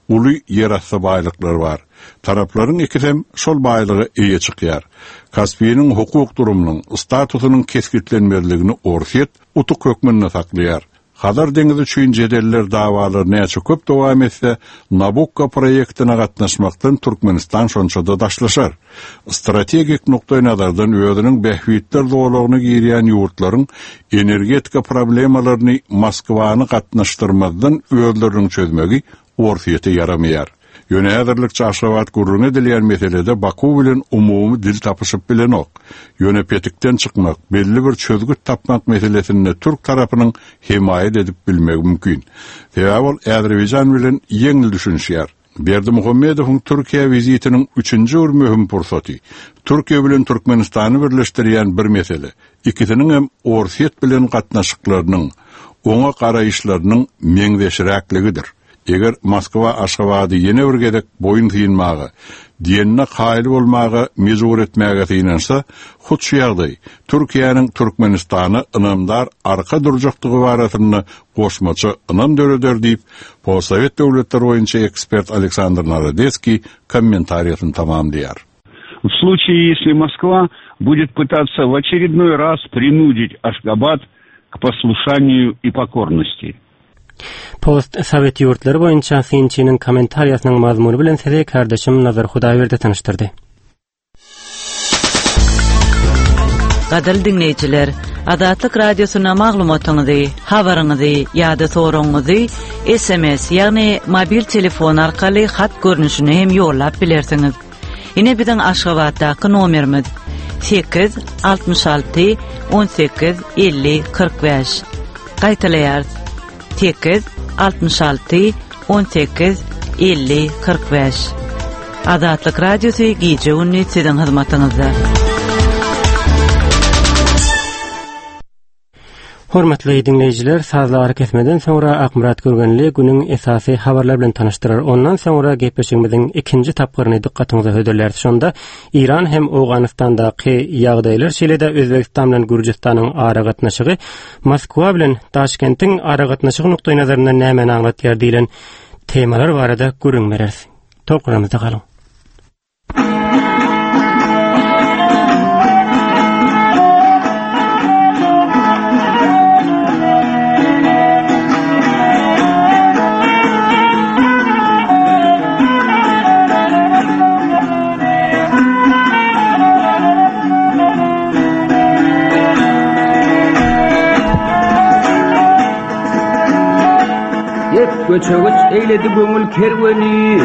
uly ýerasty baýlyklar bar. Taraplaryň ikisem şol baýlyga eýe çykýar. Kaspiniň hukuk durumynyň statusynyň kesgitlenmezligini Orsýet utuk hökmünde saklaýar. Hazar deňizi üçin jedeller dawalar näçe köp dowam etse, Nabukko proýektine gatnaşmakdan Türkmenistan şonça-da daşlaşar. Strategik nukdaý nazardan özüniň bähbitler zolagyna girýän ýurtlaryň energetika problemalaryny Moskwany gatnaşdyrmazdan özleriniň çözmegi Orsýete ýaramaýar. Ýöne häzirlikçe Aşgabat gürrüň edilýän meselede Baku bilen umumy dil tapyşyp bilenok. Ýöne petikden çykmak, belli bir çözgüt tapmak meselesinde türk tarapynyň hemaýat edip bilmegi mümkin. Sebäbi ol Azerbaýjan bilen ýeňil düşünişýär. Berdimuhamedowyň Türkiýe wizitiniň üçünji bir möhüm pursaty. Türkiýe bilen Türkmenistany birleşdirýän bir mesele. Ikisiniň hem Orsýet bilen gatnaşyklarynyň, oňa garaýyşlarynyň meňzeşräkligidir. Eger Moskwa Aşgabady ýene bir gezek boýun synmaga, diýenine kaýyl bolmaga mejbur etmäge synansa, hut şu ýagdaý Türkiýäniň Türkmenistana ynamdar arka durjakdygy barasynda goşmaça ynam döreder diýip, postsowet döwletleri boýunça ekspert Aleksandr Narodetskiý kommentariýasyny tamamlaýar. В случае, если Москва будет пытаться в очередной раз принудить Ашгабад к послушанию и покорности. Post sowet ýurtlary boýunça synçynyň kommentariýasynyň mazmuny bilen sizi kardeşim Nazar Hudaýberdi tanyşdyrdy. Gadyrly diňleýjiler, Azatlyk Radiosyna maglumatyňyzy, habaryňyzy ýa-da soragyňyzy S M S, ýagny mobil telefon arkaly hat görnüşini hem ýollap bilersiňiz. Ine biziň Aşgabatdaky nomerimiz: sekiz altmyş alty on sekiz elli kyrk bäş. Gaýtalaýarys: sekiz altmyş alty on sekiz elli kyrk bäş. Azatlyk Radiosy gije gündüz siziň hyzmatyňyzda. Hormatly diňleýjiler, sazly ara kesmeden soňra Akmyrat Gürgenli günüň esasy habarlar bilen tanyşdyrar. Ondan soňra gepleşigimiziň ikinji tapgyryny dykgatyňyza hödürläris. Şonda Iran hem Owganystandaky ýagdaýlar, şeýle-de Özbegistan bilen Gürjüstanyň aragatnaşygy Moskwa bilen Daşkentiň aragatnaşygy nukdaý nazaryndan nämäni aňlatýar diýlen temalar barada gürrüň bereris. Tolkunlarymyzda galyň. Hep göçe göç eýledi köňül kerweni.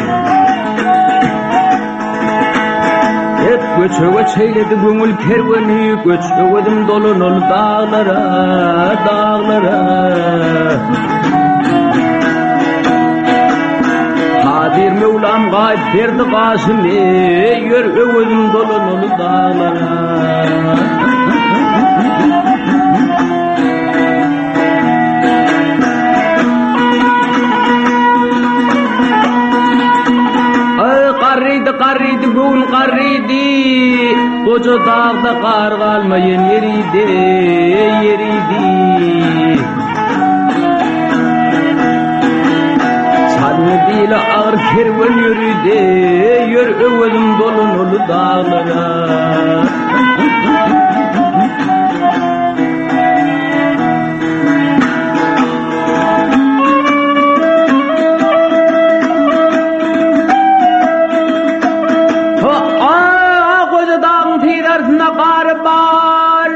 Hep göçe göç eýledi köňül kerweni. Göç öwezim dolanaly daglara, daglara. Kadir Mevlam gaýyp berdi gaşymy, ýör öwezim dolanaly daglara. Ay garrydy, garrydy, göwün garrydy. Goja dagda gar galmaýan ýeridi, ýeridi. Çalmy bile agyr kerwen ýörüdi, ýör öwezim dolanaly daglara. Ha, aa, goja dagyn tirarsynda gar bar.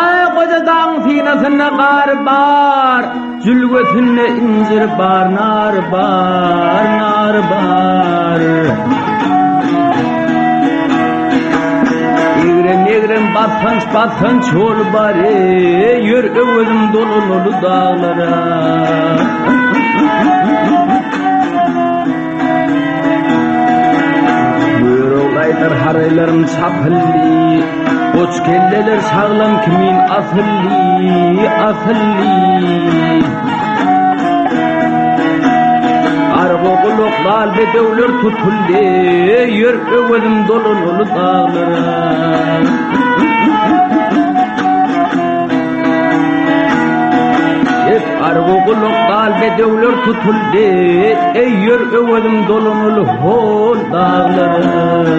Ay goja dagyn sinasynda gar bar. Jülgesinde incir bar, nar bar, nar bar. Egrem egrem basganç basganç ýol bar, ey, ýör öwezim dolanaly daglara. Göroglaýdyr haraýlarym çapylly, goç kelleler saglam kimin asylly, asylly. Argo gulak dal bedewler tutuldy, ýör öwezim dolanaly daglara. Hep argo gulak dal bedewler tutuldy, ey ýör öwezim dolanaly hol daglara.